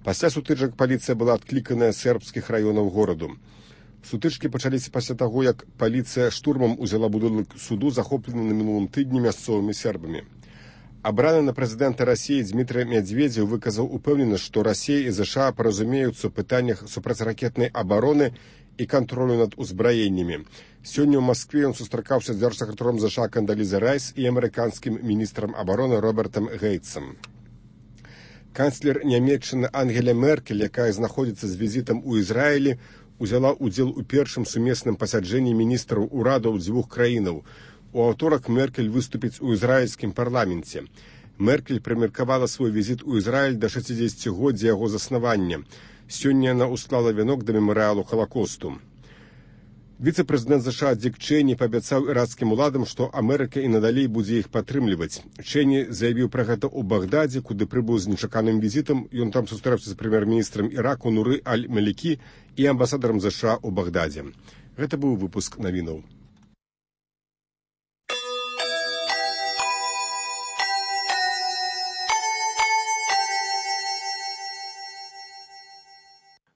Пасля сутычак паліцыя была адкліканая з сербскіх раёнаў гораду. Сутычкі пачаліся пасля таго, як паліцыя штурмам узяла будынак суду, захоплены на мінулым тыдні мясцовымі сербамі. Абраны на прэзідэнта Расіі Дмітрый Медведзеў выказаў упэўненасць, што Расія і ЗША паразумеюцца ў пытаннях супрацьракетнай абароны і кантролю над узбраеннямі. Сёння ў Маскве ён сустракаўся з дзяржсакратаром ЗША Кандалізай Райс і амерыканскім міністрам абароны Робертам Гейтсам. Канцлер Нямецчыны Ангеля Меркель, якая знаходзіцца з візітам у Ізраілі, узяла ўдзел у першым сумесным пасяджэнні міністраў урадаў дзвюх краінаў. У аўторак Меркель выступіць у ізраільскім парламенце. Меркель прымеркавала свой візіт у Ізраіль да 60-годдзя яго заснавання. Сёння яна усклала вянок да мемарыялу Халакосту. Віцэ-прэзідэнт ЗША Дик Чэні паабяцаў іракскім уладам, што Амерыка і надалей будзе іх падтрымліваць. Чэні заявіў пра гэта ў Багдадзе, куды прыбыў з нечаканым візітам. Ён там сустрэўся з прэм'ер-міністрам Іраку Нуры Аль-Малікі і амбасадарам ЗША ў Багдадзе. Гэта быў выпуск навінаў.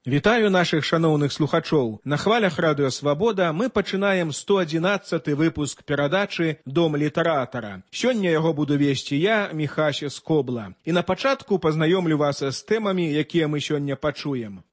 Вітаю нашых шаноўных слухачоў. На хвалях Радыё Свабода мы пачынаем 111 выпуск перадачы «Дом літаратара». Сёння яго буду весці я, Міхась Скобла. І на пачатку пазнаёмлю вас з тэмамі, якія мы сёння пачуем.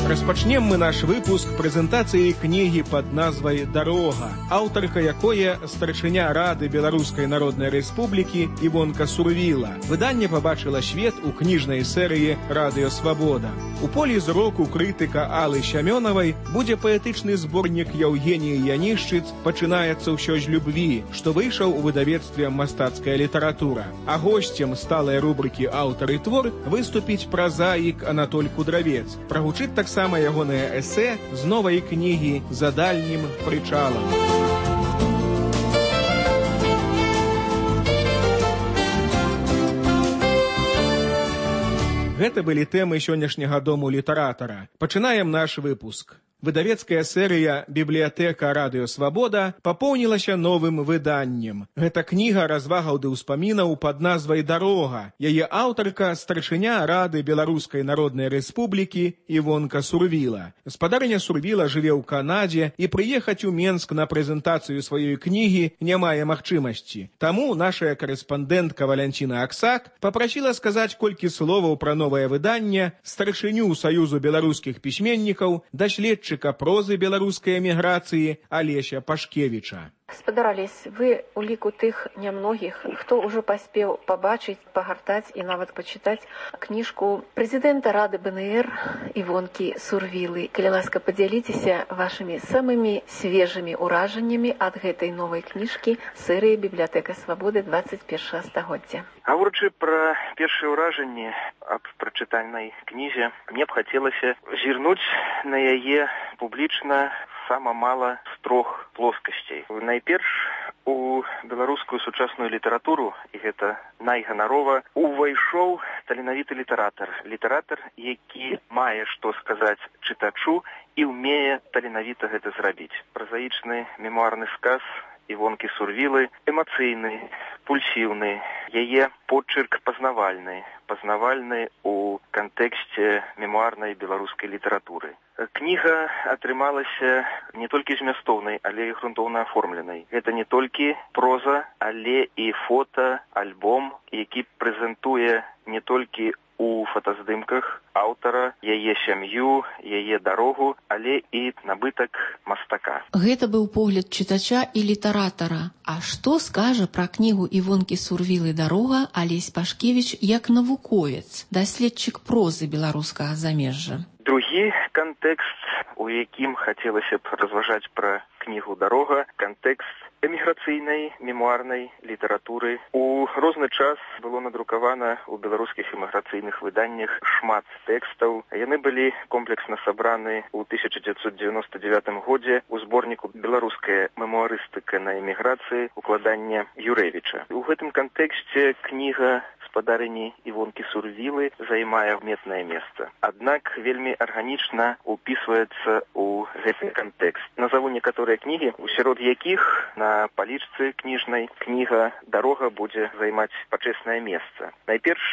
Распачнем мы наш выпуск прэзентацыі кнігі пад назвай «Дарога», аўтарка якое старшыня Рады Беларускай Народнай Рэспублікі Івонка Сурвіла. Выданне пабачыла свет у кніжнай серыі «Радыё Свабода». У полі зроку крытыка Аллы Сямёнавай будзе паэтычны зборнік Яўгеніі Янішчыц «Пачынаецца ўсё з любві», што выйшаў у выдавецтве «Мастацкая літаратура». А госцем сталай рубрыкі «Аўтар і твор» выступіць празаік Анатоль Кудравец. Прагучыць таксама ягонае эсэ з новай кнігі «За дальнім прычалам». Гэта былі тэмы сённяшняга дому літаратара. Пачынаем наш выпуск. Выдавецкая серыя «Бібліятэка Радыё Свабода» папоўнілася новым выданнем. Гэта кніга развагаў ды ўспамінаў пад назвай «Дарога». Яе аўтарка старшыня Рады Беларускай Народнай Рэспублікі Івонка Сурвіла. Гаспадарыня Сурвіла жыве ў Канадзе і прыехаць у Менск на прэзентацыю сваёй кнігі не мае магчымасці. Таму нашая карэспандэнтка Валянціна Аксак папрасіла сказаць колькі словаў пра новае выданне старшыню Саюзу беларускіх пісьменнікаў, даследчыка прозы беларускай эміграцыі Алеся Пашкевіча. Гаспадар Алесь, вы у ліку тых нямногіх, хто ўжо паспеў пабачыць, пагартаць і нават пачытаць кніжку прэзідэнта Рады БНР Івонкі Сурвілы. Калі ласка, падзяліцеся вашымі самымі свежымі ўражаннямі ад гэтай новай кніжкі серыі «Бібліятэка Свабоды» 21 стагоддзя. Гаворачы пра першыя ўражанні аб прачытанай кнізе, мне б хацелася зірнуць на яе публічна сама мала з трох плоскасцей. Найперш у беларускую сучасную літаратуру, і гэта найганарова, увайшоў таленавіты літаратар. Літаратар, які мае што сказаць чытачу і ўмее таленавіта гэта зрабіць. Празаічны мемуарны сказ Івонкі Сурвілы эмацыйны, пульсіўны, яе почырк пазнавальны у кантэксце мемуарнай беларускай літаратуры. Кніга атрымалася не толькі змястоўнай, але і грунтоўна аформленай. Гэта не толькі проза, але і фота, альбом, які прэзентуе не толькі у фотаздымках аўтара, яе сям'ю, яе дарогу, але і набытак мастака. Гэта быў погляд чытача і літаратара. А што скажа пра кнігу Івонкі Сурвілы «Дарога» Алесь Пашкевіч як навуковец, даследчык прозы беларускага замежжа? Другі кантэкст, у якім хацелася б разважаць пра кнігу «Дарога», кантэкст эміграцыйнай мемуарнай літаратуры. У розны час было надрукавана ў беларускіх эміграцыйных выданнях шмат тэкстаў. Яны былі комплексна сабраны ў 1999 годзе ў зборніку «Беларуская мемуарыстыка на эміграцыі» укладання Юрэвіча. У гэтым кантэксце кніга гаспадарыні Івонкі Сурвілы займае адметнае месца. Аднак вельмі арганічна упісваецца ў гэты кантэкст. Назаву некаторыя кнігі, сярод якіх на палічцы кніжнай кніга «Дарога» будзе займаць пачэснае месца. Найперш,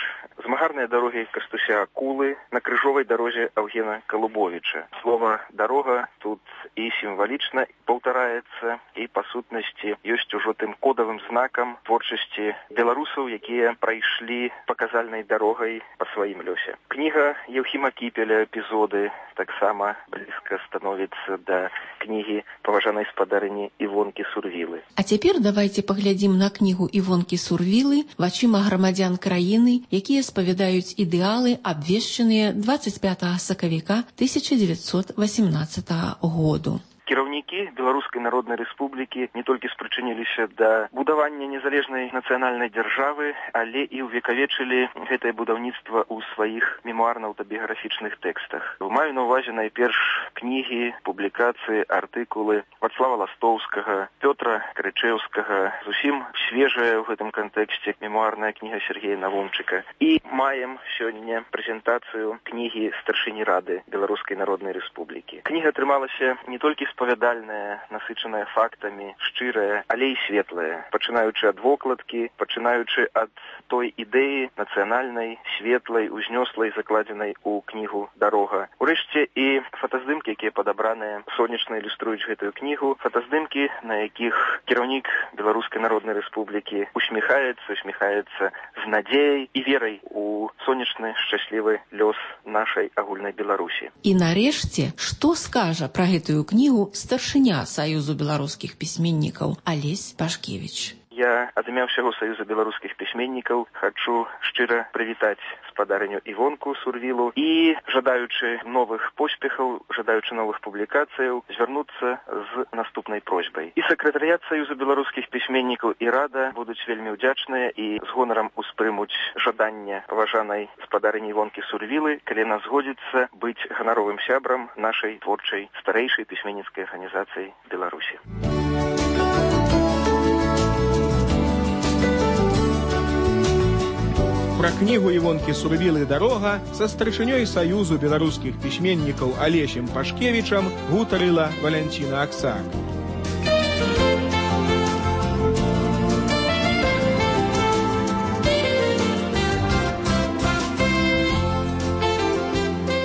змагарныя дарогі Кастуся Акулы на крыжовай дарозе Аўгена Калубовіча. Слова «дарога» тут і сімвалічна паўтараецца, і па сутнасці ёсць ужо тым кодавым знакам творчасці беларусаў, якія прайшлі паказальнай дарогай па сваім лёсе. Кніга Еўхіма Кіпеля «Эпізоды» таксама блізка становіцца да кнігі паважанай спадарыні Івонкі Сурвілы. А цяпер давайце паглядзім на кнігу Івонкі Сурвілы вачыма грамадзян краіны, якія спавядаюць ідэалы, абвешчаныя 25 сакавіка 1918 году. Кіраўнікі Беларускай Народнай Рэспублікі не толькі спрычыніліся да будавання незалежнай нацыянальнай дзяржавы, але і ўвекавечылі гэтае будаўніцтва ў сваіх мемуарна-аўтабіяграфічных тэкстах. Маю на ўвазе найперш кнігі, публікацыі, артыкулы Вацлава Ластоўскага, Пётра Крычэўскага, зусім свежая ў гэтым кантэксце мемуарная кніга Сергея Навумчыка. І маем сёння прэзентацыю кнігі старшыні Рады Беларускай Народнай Рэспублікі. Кніга атрымалася не толькі спавядальная, насычаная фактамі, шчырая, але і светлая, пачынаючы ад вокладкі, пачынаючы ад той ідэі нацыянальнай, светлай, узнёслай, закладзенай у кнігу «Дарога». Урэшце і фотаздымкі, якія падабраныя, сонечна ілюструюць гэтую кнігу, кнігу фотаздымкі, на якіх кіраўнік Беларускай Народнай Рэспублікі усміхаецца з надзеяй і верай у сонечны, шчаслівы лёс нашай агульнай Беларусі. І нарэшце, што скажа пра гэтую кнігу старшыня Саюзу беларускіх пісьменнікаў Алесь Пашкевіч? Я ад імя ўсяго Саюза беларускіх пісьменнікаў хачу шчыра прывітаць спадарыню Івонку Сурвілу і, жадаючы новых поспехаў, жадаючы новых публікацыяў, звярнуцца з наступнай просьбай. І сакратарыят Саюза беларускіх пісьменнікаў і рада будуць вельмі ўдзячныя і з гонарам успрымуць жаданне паважанай спадарыні Івонкі Сурвілы, калі яна згодзіцца быць ганаровым сябрам нашай творчай старэйшай пісьменніцкай арганізацыі Беларусі. Пра кнігу Івонкі Сурвілы «Дарога» са старшынёй Саюзу беларускіх пісьменнікаў Алесем Пашкевічам гутарыла Валянціна Аксак.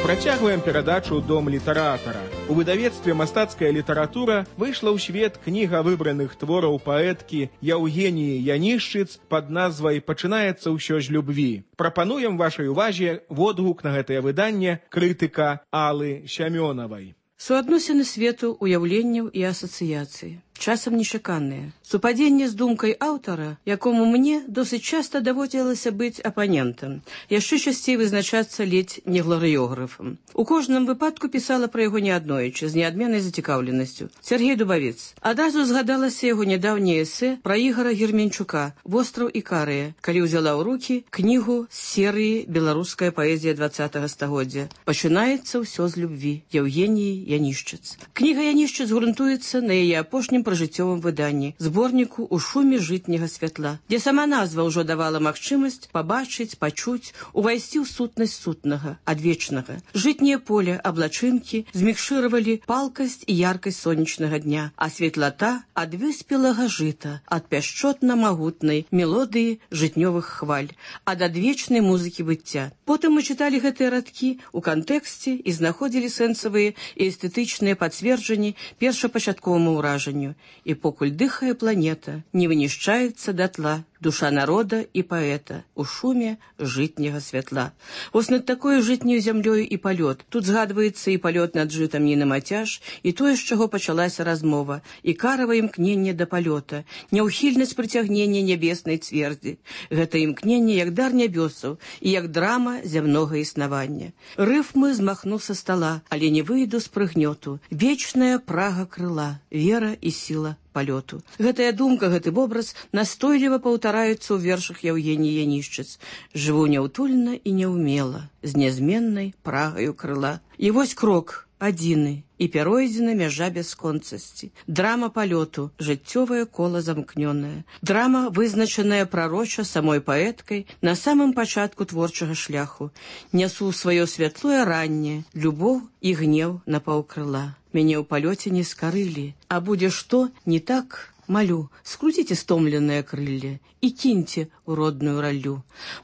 Працягваем перадачу «Дом літаратара». У выдавецтве «Мастацкая літаратура» выйшла ў свет кніга выбраных твораў паэткі Яўгеніі Янішчыц пад назвай «Пачынаецца ўсё з любві». Прапануем вашай увазе водгук на гэтае выданне крытыка Аллы Сямёнавай. Суадносіны свету, уяўленняў і асацыяцыі. Часам нечаканыя. Супадзенне з думкай аўтара, якому мне досыць часта даводзілася быць апанентам, яшчэ часцей вызначацца ледзь не гларыёграфам. У кожным выпадку пісала пра яго неаднойчы, з неадменнай зацікаўленасцю. Сергей Дубавец. Адразу згадалася яго нядаўняе эсэ пра Ігара Герменчука «Востраў Ікарыя», калі ўзяла ў рукі кнігу з серыі «Беларуская паэзія 20-го стагоддзя». Пачынаецца ўсё з любві. Яўгеніі Янішчыц. Кніга Янішчыц грунтуецца на яе апошнім пражыццёвым выданні, зборніку «У шуме жытняга святла», дзе сама назва ўжо давала магчымасць пабачыць, пачуць, увайсці ў сутнасць сутнага, адвечнага. Жытняе поле, аблачынкі змікшыравалі палкасць і яркасць сонечнага дня, а светлата ад выспелага жыта, ад пяшчотна-магутнай мелодыі жытнёвых хваль, ад адвечнай музыкі быцця. Потым мы чыталі гэтыя радкі ў кантэксце і знаходзілі сэнсавыя і эстэтычныя пацверджанні першапачатковаму ўражанню. І покуль дыхае планета, не вынішчаецца датла душа народа і паэта у шуме жытняга святла. Вось над такой жытняю зямлёю і палёт. Тут згадваецца і палёт над жытам Ніны Мацяж, і тое, з чаго пачалася размова, і карава імкненне да палёта, няўхільнасць прыцягнення нябеснай цвердзі. Гэта імкненне як дар нябёсаў і як драма зямнога існавання. Рыфмы змахну са стала, але не выйду з прыгнёту. Вечная прага крыла, вера і сіла палёту. Гэтая думка, гэты вобраз настойліва паўтараюцца ў вершах Яўгеніі Янішчыц. Жыву няўтульна і няўмела, з нязменнай прагаю крыла. І вось крок адзіны, і пяройдзена мяжа бясконцасці. Драма палёту, жыццёвае кола замкнёнае. Драма, вызначаная прароча самой паэткай на самым пачатку творчага шляху. Нясу сваё святлое ранне, любоў і гнеў на паўкрыла. Мяне ў палёце не скарылі, а будзе што не так, малю, скруціце стомленыя крылле і кіньце ў родную раллю.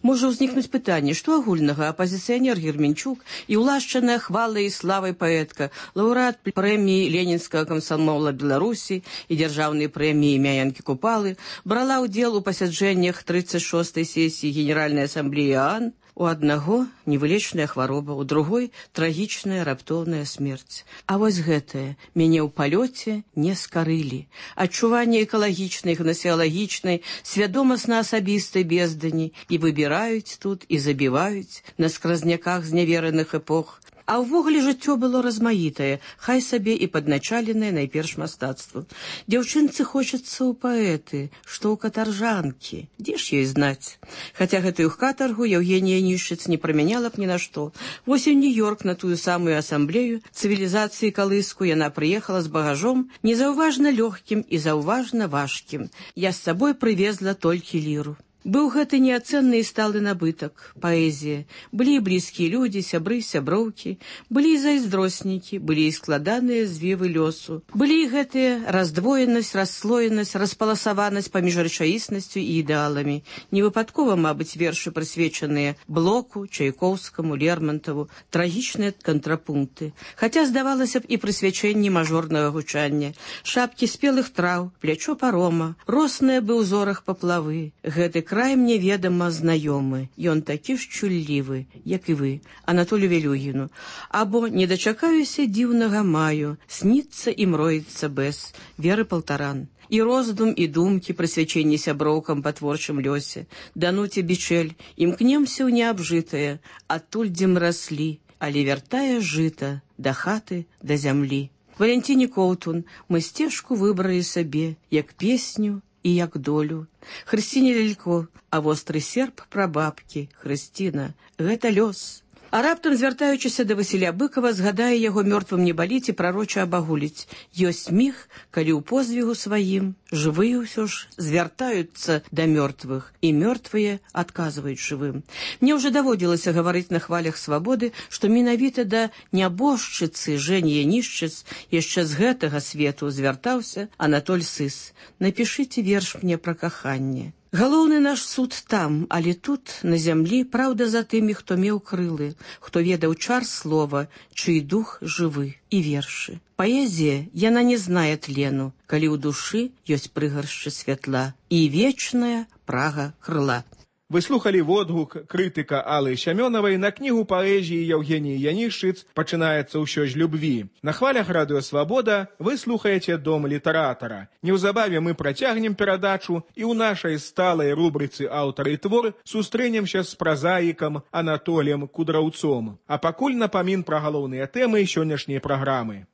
Можа ўзнікнуць пытанне, што агульнага апазіцыянер Герменчук і ўлашчаная хвалай і славай паэтка, лаўрэат прэміі Ленінскага камсамола Беларусі і дзяржаўнай прэміі імя Янкі Купалы, брала ўдзел у пасяджэннях 36-й сесіі Генеральнай асамблеі ААН. У аднаго невылечная хвароба, у другой трагічная раптоўная смерць. А вось гэтае мяне ў палёце не скарылі. Адчуванне экалагічнай, гнасеалагічнай, свядомасна-асабістай бездані і выбіраюць тут, і забіваюць на скразняках знявераных эпох. А ўвогуле жыццё было размаітае, хай сабе і падначаленае найперш мастацтву. Дзяўчынцы хочацца ў паэты, што ў катаржанкі. Дзе ж ёй знаць? Хаця гэтую катаргу Яўгенія Янішчыц не прамяняла б ні на што. Вось у Нью-Йорк на тую самую асамблею цывілізацыі калыску яна прыехала з багажом, незаўважна лёгкім і заўважна важкім. Я з сабой прывезла толькі ліру. Быў гэты неацэнны і сталы набытак, паэзія. Былі і блізкія людзі, сябры, сяброўкі, былі і зайздроснікі, былі і складаныя звевы лёсу. Былі і гэтыя раздвоенасць, расслоенасць, распаласаванасць паміж рэчаіснасцю і ідэаламі. Невыпадкова, мабыць, вершы прысвечаныя Блоку, Чайкоўскаму, Лермонтову, трагічныя кантрапункты. Хаця, здавалася б, і прысвячэнні мажорнага гучання. Шапкі спелых траў, плячо парома, росныя бы ў зорах паплавы. Гэты край мне ведама знаёмы. Ён такі ж чуллівы, як і вы, Анатолію Велюгіну. Або не дачакаюся дзіўнага маю, сніцца і мроіцца бэс, Веры Палтаран. І роздум, і думкі, прысвячэнні сяброўкам па творчым лёсе. Дануце Бичель, імкнемся ў неабжытае, адтуль, дзе мы раслі, але вяртае жыта да хаты, да зямлі. Валентине Коўтун мы сцежку выбралі сабе, як песню і як долю. Хрысціне Лялько, а востры серп прабабкі, Хрысціна, гэта лёс. А раптам, звяртаючыся да Васіля Быкова, згадае яго мёртвым не баліць і прароча абагуліць. Ёсць міг, калі ў позвігу сваім жывыя ўсё ж звяртаюцца да мёртвых, і мёртвыя адказваюць жывым. Мне ўжо даводзілася гаварыць на хвалях свабоды, што менавіта да нябожчыцы Жэні Янішчыц яшчэ з гэтага свету звяртаўся Анатоль Сыс. Напішыце верш мне пра каханне. Галоўны наш суд там, але тут, на зямлі, праўда за тымі, хто меў крылы, хто ведаў чар слова, чый дух жывы, і вершы. Паэзія, яна не знае тлену, калі ў душы ёсць прыгаршчы святла і вечная прага крыла. Вы слухали водгук крытыка Аллы Сямёнавай на кнігу паэзіі Евгеніі Янішчыц «Пачынаецца ўсё з любві». На хвалях радыё «Свабода» вы слухаеце «Дом літаратара». Неўзабаве мы працягнем перадачу і ў нашай сталай рубрыцы «Аўтар і твор» сустрэнемся з празаікам Анатоліем Кудраўцом. А пакуль напамін пра галоўныя тэмы сённяшняй праграмы.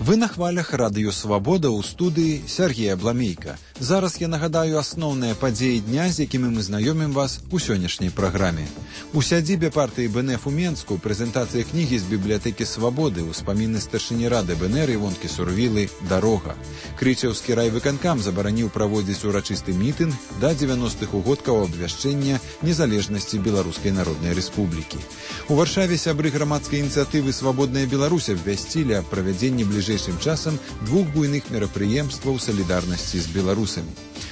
Вы на хвалях радыё «Свабода» ў студыі Сергея Бламейка. Зараз я нагадаю асноўныя падзеі дня, з якімі мы знаёмім вас у сённяшняй праграме. У сядзібе партыі БНФ у Менску прэзентацыя кнігі з бібліятэкі «Свабоды» ўспаміны старшыні рады БНР Івонкі Сурвілы «Дарога». Крычаўскі райвыканкам забараніў праводзіць урачысты мітынг да 90-х угодкаў абвяшчэння незалежнасці Беларускай Народнай Рэспублікі. У Варшаве сябры грамадскай ініцыятывы «Свабодная Беларусь» абвясцілі аб правядзенні бліжэйшым часам двух буйных мерапрыемстваў салідарнасці з беларусамі.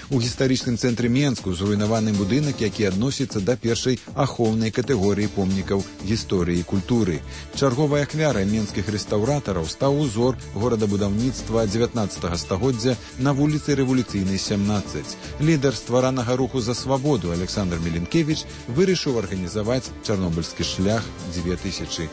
У гістарычным цэнтры Менску зруйнаваны будынак, які адносіцца да першай ахоўнай катэгорыі помнікаў гісторыі і культуры. Чарговая ахвяра менскіх рэстаўратараў стаў узор горадабудаўніцтва 19 стагоддзя на вуліцы Рэвалюцыйнай, 17. Лідар стваранага руху за свабоду Александр Міленкевіч вырашыў арганізаваць Чарнобыльскі шлях 2008.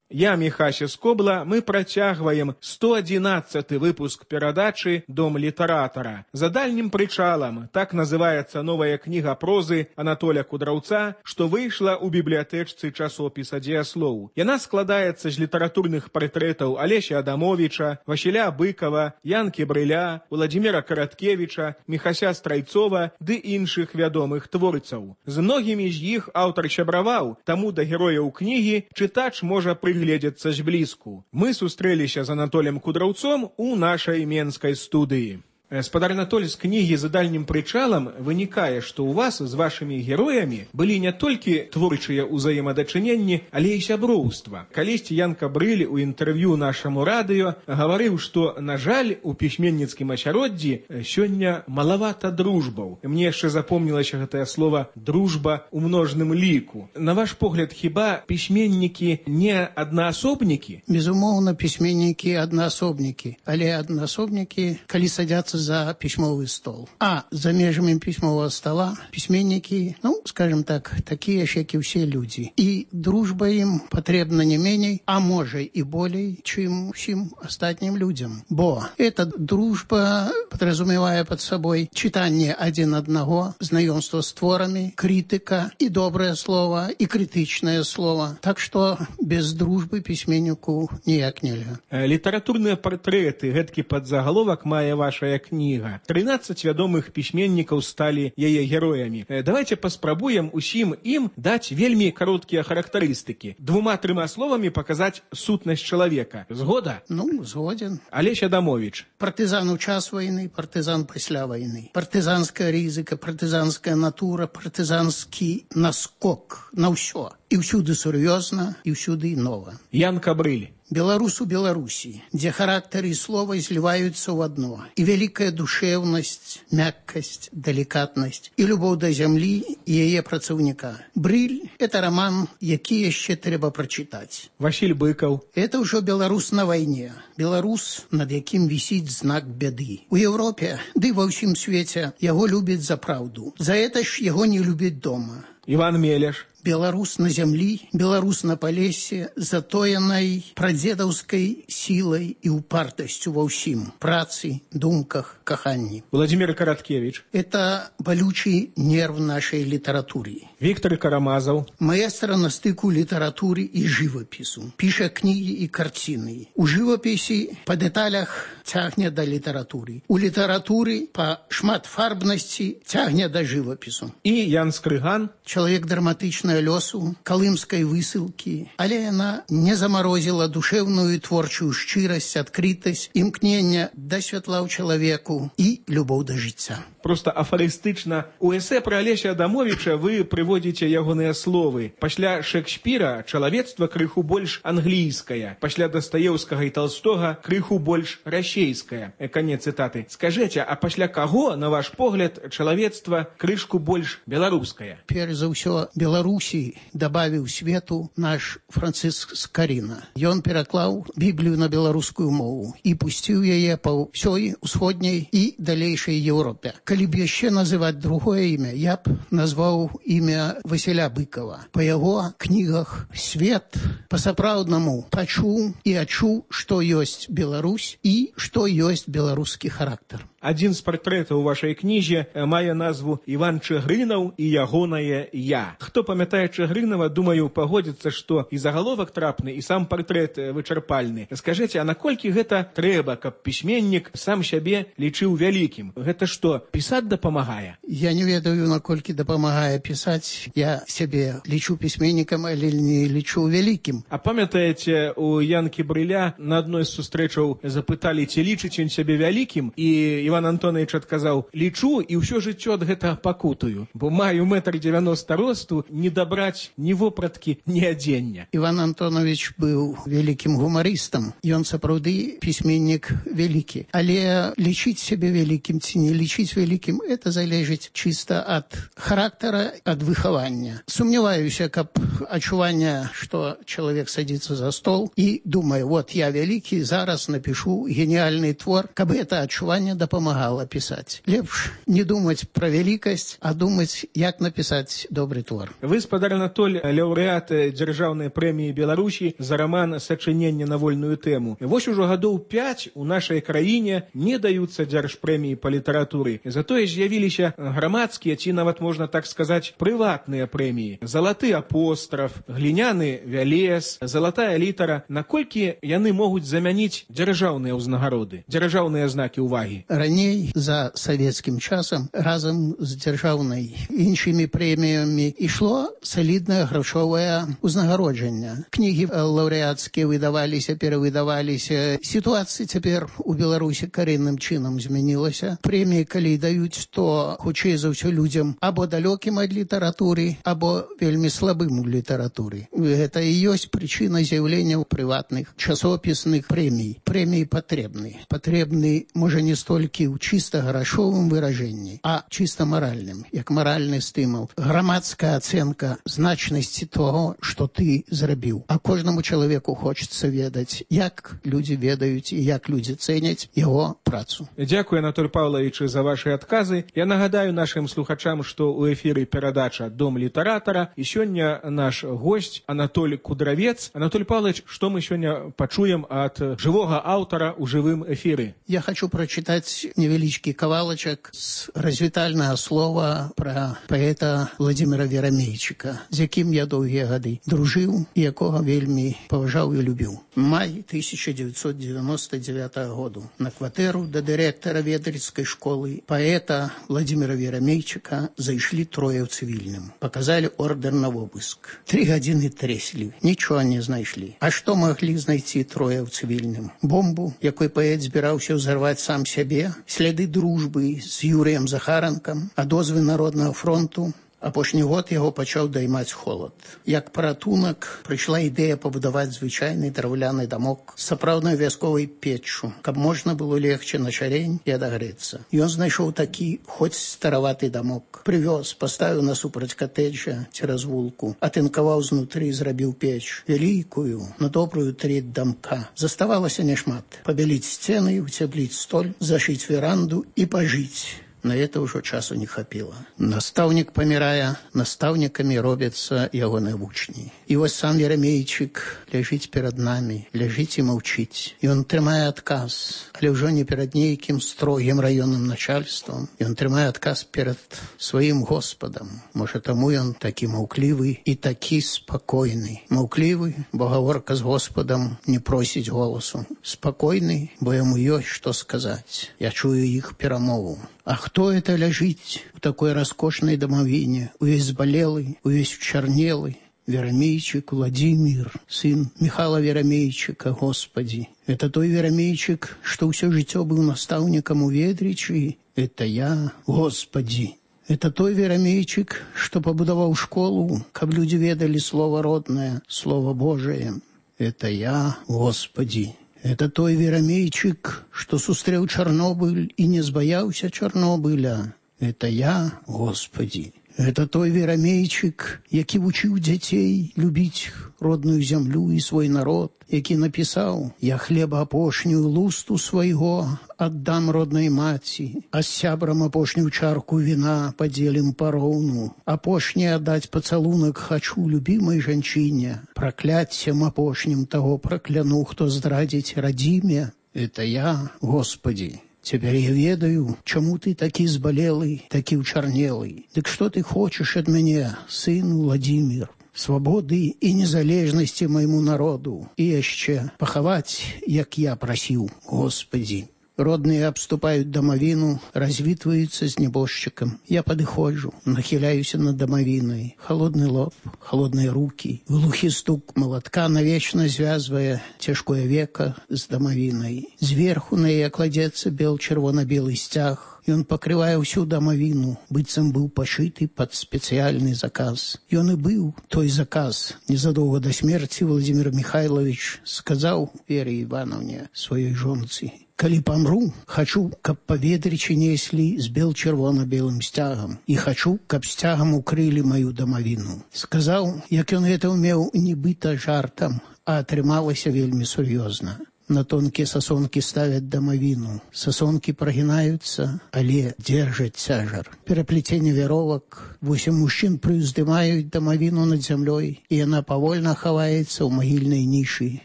Я, Міхася Скобла, мы працягваем 111-й выпуск перадачы «Дом літаратара». За дальнім прычалам, так называецца новая кніга прозы Анатоля Кудраўца, што выйшла ў бібліятэчцы часопіса «Дзеяслоў». Яна складаецца з літаратурных партрэтаў Алеся Адамовіча, Васіля Быкова, Янкі Брыля, Владзіміра Караткевіча, Міхася Страйцова ды іншых вядомых творцаў. З многімі з іх аўтар сябраваў, таму да герояў кнігі чытач можа прыгледзецца зблізку. Мы сустрэліся з Анатолем Кудраўцом у нашай менскай студыі. Спадар Анатоль, з кнігі «За дальнім прычалам» вынікае, што ў вас з вашымі героямі былі не толькі творчыя ўзаемадачыненні, але і сяброўства. Калісьці Янка Брыль у інтэрв'ю нашаму радыё гаварыў, што, на жаль, у пісьменніцкім асяроддзі сёння малавата дружбаў. Мне яшчэ запомнілася гэтае слова «дружба» у множным ліку. На ваш погляд, хіба пісьменнікі не аднаасобнікі? Безумоўна, пісьменнікі аднаасобнікі, але аднаасобнікі, калі садзяцца за письмовый стол. А за межами письмового стола письменники, скажем так, такие же, как и все люди. И дружба им потребна не менее, а может и более, чем всем остальным людям. Бо эта дружба подразумевая под собой читание один одного, знакомство с творами, критика и доброе слово, и критичное слово. Так что без дружбы письменнику ніяк нельзя. Літаратурныя партрэты, гэткі падзагаловак мае вашая кніга. 13 вядомых пісьменнікаў сталі яе героямі. Давайте паспрабуем усім ім даць вельмі кароткія характарыстыкі. 2-3 словамі паказаць сутнасць чалавека. Згода? Ну, згоден. Алесь Адамович. Партызан у час войны, партызан пасля войны. Партызанская рызыка, партызанская натура, партызанскі наскок на ўсё. І ўсюды сур'ёзна, і ўсюды нова. Ян Кабрыль. Беларус у Беларусі, дзе характар і слова зліваюцца ў адно. І вялікая душэўнасць, мяккасць, далікатнасць, і любоў да зямлі і яе працаўніка. Брыль – это роман, які яшчэ трэба прачытаць. Васіль Быкаў. Это ўжо беларус на вайне. Беларус, над якім вісіць знак бяды. У Еўропе, ды ва ўсім свеце, яго любяць за праўду. За это ж яго не любяць дома. Іван Мелеш. Беларус на зямлі, беларус на палесе, затоенай прадзедаўскай сілай і упартасцю ва ўсім. Працы, думках, каханні. Владимир Караткевич. Это балючы нерв нашай літаратуры. Віктор Карамазаў. Маэстра на стыку літаратуры і жывапісу. Піша кнігі і карціны. У жывапісе па дэталях цягне да літаратуры. У літаратуры па шматфарбнасці цягне да жывапісу. І Ян Скрыган. Чалавек драматычнага лёсу, калымскай высылкі, але яна не замарозіла душэўную і творчую шчырасць, адкрытасць, імкнення да святла ў чалавеку і любоў да жыцця. Просто афарыстычна. У эсэ пра Алеся Адамовича вы прыводзіце ягоныя словы. Пасля Шекспіра чалавецтва крыху больш англійскае, пасля Дастаеўскага і Толстога крыху больш расейскае. Канец цытаты. Скажэце, а пасля каго, на ваш погляд, чалавецтва крышку больш беларускае? Перш за ўсё, Беларусі дабавіў свету наш Францыск Скарына. Ён пераклаў Біблію на беларускую мову і пусціў яе па ўсёй усходняй і далейшай Еўропе. Калі б яшчэ называць другое імя, я б назваў імя Васіля Быкова. Па яго кнігах свет па-сапраўднаму пачуў і адчуў, што ёсць Беларусь і што ёсць беларускі характар. Адзін з партрэтаў у вашай кнізе мае назву «Іван Чыгрынаў і ягонае я». Хто памятае Чыгрынава, думаю, пагодзіцца, што і загаловак трапны, і сам партрэт вычарпальны. Скажыце, а наколькі гэта трэба, каб пісьменнік сам сябе лічыў вялікім? Гэта што, пісаць дапамагае? Я не ведаю, наколькі дапамагае пісаць. Я сябе лічу пісьменнікам, але не лічу вялікім. А памятаеце, у Янкі Брыля на адной з сустрэчаў запыталі, ці лічыць ён сябе вялікім, і Іван Антонович адказаў: лічу і ўсё жыццё ад гэта пакутаю, бо маю 1,90 м росту, не дабраць ні вопраткі, ні адзення. Іван Антонович быў вялікім гумарыстам. Ён сапраўды пісьменнік вялікі. Але лічыць сябе вялікім ці не лічыць вялікім, это залежыць чыста ад характара, ад выхавання. Сумняваюся, каб адчуванне, што чалавек садзіцца за стол і думае, вот я вялікі, зараз напішу геніальны твор, каб гэта адчуванне дапамагала пісаць. Лепш не думаць пра вялікасць, а думаць, як напісаць добры твор. Вы, спадар Анатоль, лаўрэат дзяржаўнай прэміі Беларусі за раман «Сачыненне на вольную тэму». Вось ужо гадоў 5 у нашай краіне не даюцца дзяржпрэміі па літаратуры. Затое з'явіліся грамадскія, ці нават можна так сказаць, прыватныя прэміі. «Залаты апостраф», «Гліняны вялез», «Залатая літара». Наколькі яны могуць замяніць дзяржаўныя ўзнагароды, дзяржаўныя знакі ўвагі? Раней, за савецкім часам, разам з дзяржаўнай іншымі прэміямі ішло саліднае грашовае ўзнагароджанне. Кнігі лаўрэацкія выдаваліся, перавыдаваліся. Сітуацыя цяпер у Беларусі карэнным чынам змянілася. Прэміі, калі даюць, то хутчэй за ўсё людзям або далёкім ад літаратуры, або вельмі слабым у літаратуры. Гэта і ёсць прычына з'яўлення прыватных часопісных прэмій. Прэміі патрэбны. Патрэбны, можа, не столькі ў чыста грашовым выражэнні, а чыста маральным, як маральны стымул. Грамадская ацэнка значнасці того, што ты зрабіў. А кожнаму чалавеку хочацца ведаць, як людзі ведаюць і як людзі цэняць яго працу. Дзякую, Анатоль Павлович, за ваши адказы. Я нагадаю нашим слухачам, што ў эфіры перадача «Дом літаратара», і сёння наш госць Анатоль Кудравец. Анатоль Павлович, што мы сёння пачуем ад жывога аўтара ў жывым эфіры? Я хочу прочитать вось невялічкі кавалачак з развітальнага слова пра паэта Владзіміра Верамейчыка, з якім я доўгія гады дружыў і якога вельмі паважаў і любіў. Май 1999 году на кватэру да дырэктара ведрыцкай школы паэта Владзіміра Верамейчыка зайшлі трое ў цывільным. Паказалі ордер на обыск. 3 гадзіны трэслі, нічога не знайшлі. А што маглі знайти трое ў цывільным? Бомбу, якой паэт збіраўся ўзарваць сам сябе, сляды дружбы з Юрыем Захаранкам, адозвы Народнага фронту. Апошні год яго пачаў даймаць холад. Як паратунак прыйшла ідэя пабудаваць звычайны драўляны дамок з сапраўднай вясковай печчу, каб можна было легче на шарень і адагрэцца. Ён знайшоў такі, хоць стараваты дамок. Прывёз, паставіў насупраць катэджа цераз вулку, атынкаваў знутры, зрабіў печ, вялікую, на добрую треть дамка. Заставалася няшмат. Пабяліць сцены, уцепліць столь, зашыць веранду і пажыць. На это ўжо часу не хапіла. Настаўнік памірае, настаўнікамі робяцца ягоныя вучні. І вось сам Верамейчык ляжыць перад намі, ляжыць і маўчыць. Ён трымае адказ, але ўжо не перад нейкім строгім раённым начальствам. Ён трымае адказ перад сваім Господам. Можа, таму ён такі маўклівы і такі спакойны. Маўклівы, бо гаворка з Господам не просіць голасу. Спакойны, бо яму ёсць што сказаць. Я чую іх перамову. А хто это ляжыць у такой раскошнай дамавіне, увесь збалелы, увесь учарнелы? Верамейчык Владзімір, сын Михала Верамейчыка, Господи. Это той Верамейчык, што ўсё жыццё быў настаўнікам у Ведрычы. Это я, Господи. Это той Верамейчык, што пабудаваў школу, каб людзі ведалі слова роднае, слова Божае. Это я, Господи. Это той Верамейчык, што сустрэў Чарнобыль і не збаяўся Чарнобыля. Это я, Господи. Это той Верамейчык, які вучыў дзяцей любіць родную зямлю і свой народ, які напісаў: «Я хлеба апошнюю лусту свайго аддам роднай маці, а з сябрам апошнюю чарку віна падзелім пароўну. Апошні аддаць пацалунак хачу любімай жанчыне, пракляццем апошнім таго пракляну, хто здрадзіць радзіме. Это я, Господи». Теперь я ведаю, чему ты такі збалелый, такі учарнелый. Дык што ты хочаш ад мяне, сын Владзімір? Свабоды і незалежнасці майму народу. І яшчэ пахаваць, як я прасіў, Господи. Родныя абступаюць дамавіну, развітваюцца з небожчыкам. Я падыходжу, нахіляюся над дамавінай. Холодны лоб, холодныя рукі, глухі стук малатка навечна звязвае цяжкое века з дамавінай. Зверху на яе кладзецца бел-чырвона-белы сцяг. Ён пакрывае ўсю дамавіну, быццам быў пашыты пад спецыяльны заказ. Ён і быў той заказ. Незадоўга да смерці Владзімір Михайлович сказаў Вере Івановне, сваёй жонцы: «Калі памру, хачу, каб па Ведрычы неслі з бел-чырвона-белым сцягам. І хачу, каб сцягам укрылі маю дамавіну». Сказаў, як ён гэта ўмеў нібыта жартам, а атрымалася вельмі сур'ёзна. На тонкія сасонкі ставяць дамавіну. Сасонкі прагінаюцца, але дзержаць цяжар. Пераплеценне вяровак. 8 мужчын прыўздымаюць дамавіну над зямлёй, і яна павольна хаваецца ў магільнай нішы,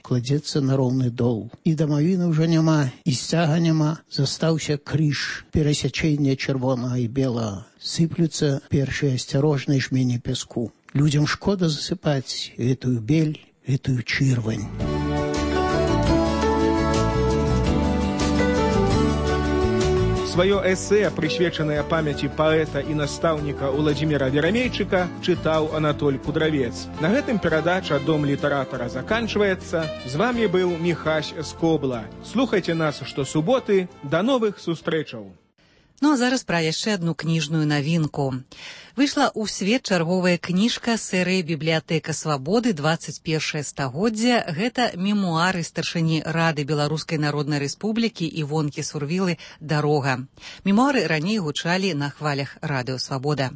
кладзецца на роўны дол. І дамавіны ўжо няма, і сцяга няма. Застаўся крыж, перасячэння чырвонага і белага. Сыплюцца першыя асцярожныя жмені пяску. Людзям шкода засыпаць гэтую бель, гэтую чырвань. Сваё эсэ, прысвечанае памяці паэта і настаўніка Владзіміра Верамейчыка, чытаў Анатоль Кудравец. На гэтым перадача «Дом літаратара» заканчваецца. З вамі быў Міхась Скобла. Слухайце нас штосуботы. Да новых сустрэчаў. Ну а зараз пра яшчэ адну кніжную навінку. Выйшла ў свет чарговая кніжка серыі «Бібліятэка свабоды. 21 стагоддзя». Гэта мемуары старшыні Рады Беларускай Народнай Рэспублікі Івонкі Сурвілы «Дарога». Мемуары раней гучалі на хвалях радыё «Свабода».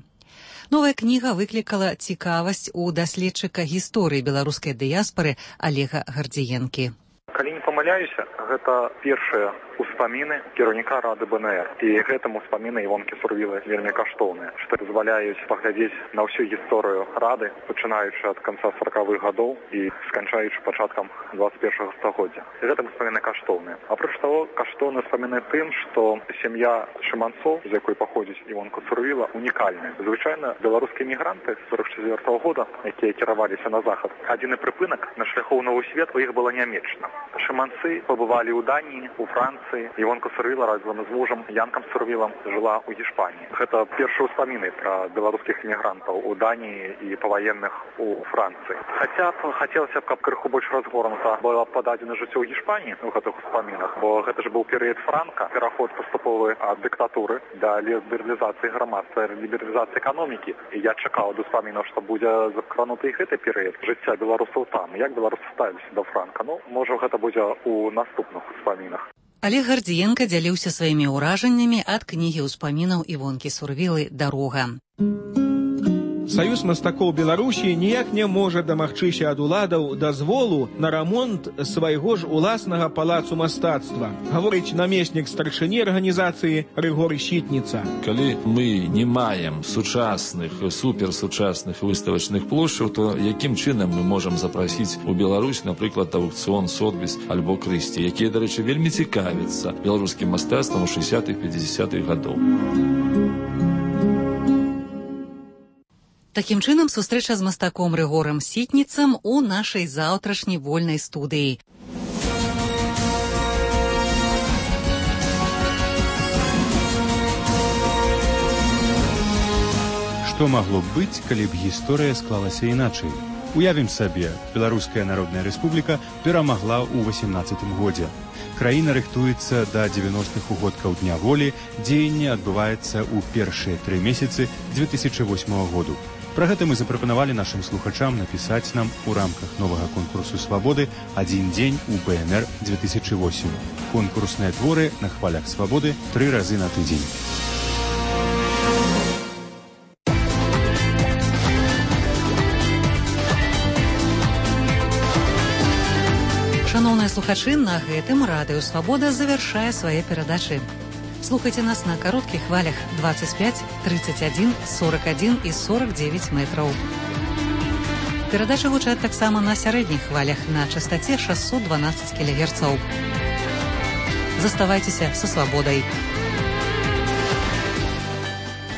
Новая кніга выклікала цікавасць у даследчыка гісторыі беларускай дыяспары Алега Гардзіенкі. Калі не дазваляюся, гэта першыя успаміны кіраўніка Рады БНР. І гэтым успаміны Івонкі Сурвілы вельмі каштоўныя, што дазваляюць паглядзець на ўсю гісторыю Рады, пачынаючы ад канца 40-х гадоў і сканчаючы пачаткам 21-го стагоддзя. І гэтым успаміны каштоўныя. Апроч таго, каштоўны успаміны тым, што сям'я Шыманцоў, з якой паходзіць Івонка Сурвіла, унікальная. Звычайна беларускія мігранты з 44-го года, якія кіраваліся на захад, адзіны прыпынак на шляху ў новы свет у іх была Нямеччына. Шыманцы пабывалі ў Даніі, у Францыі. Івонка Сурвіла разам з мужам Янкам Сурвілам жыла ў Гішпаніі. Гэта першыя ўспаміны пра беларускіх мігрантаў у Даніі і паваенных у Францыі. Хаця б хацелася б, каб крыху больш разгорнута было пададзена жыццё ў Гішпаніі у гэтых успамінах, бо гэта ж быў перыяд Франка, пераход паступовы ад дыктатуры да лібералізацыі грамадства, лібералізацыі эканомікі. І я чакаў ад успамінаў, што будзе закрануты і гэты перыяд жыцця беларусаў там. Як беларусы ставіліся да Франка? Ну, можа, гэта будзе ў наступных успамінах. Олег Гардзіенка дзяліўся сваімі ўражаннямі ад кнігі ўспамінаў Івонкі Сурвілы «Дарога». Саюз мастакоў Беларусі ніяк не можа дамагчыся ад уладаў дазволу на рамонт свайго ж уласнага палацу мастацтва, гаворыць намеснік старшыні арганізацыі Рыгор Сітніца. Калі мы не маем сучасных, суперсучасных выставачных плошчаў, то якім чынам мы можам запрасіць у Беларусь, напрыклад, аўкцыён Сотбіс альбо Крысці, якія, дарэчы, вельмі цікавяцца беларускім мастацтвам у 60-х-50-х гадоў. Такім чынам, сустрэча з мастаком Рыгорам Сітніцам у нашай заўтрашняй вольнай студыі. Што магло б быць, калі б гісторыя склалася іначай? Уявім сабе, Беларуская Народная Рэспубліка перамагла ў 18-м годзе. Краіна рыхтуецца да 90-х угодкаў Дня волі, дзеянне адбываецца ў першыя 3 месяцы 2008 году. Пра гэта мы запрапанавалі нашым слухачам напісаць нам у рамках новага конкурсу «Свабоды» «Адзін дзень у БНР 2008». Конкурсныя творы на хвалях «Свабоды» 3 разы на тыдзень. Шановныя слухачы, на гэтым радыё «Свабода» завяршае свае перадачы. Слухайце нас на кароткіх хвалях 25, 31, 41 і 49 метраў. Перадачы гучаць таксама на сярэдніх хвалях на частаце 612 кГц. Заставайцеся са свабодай.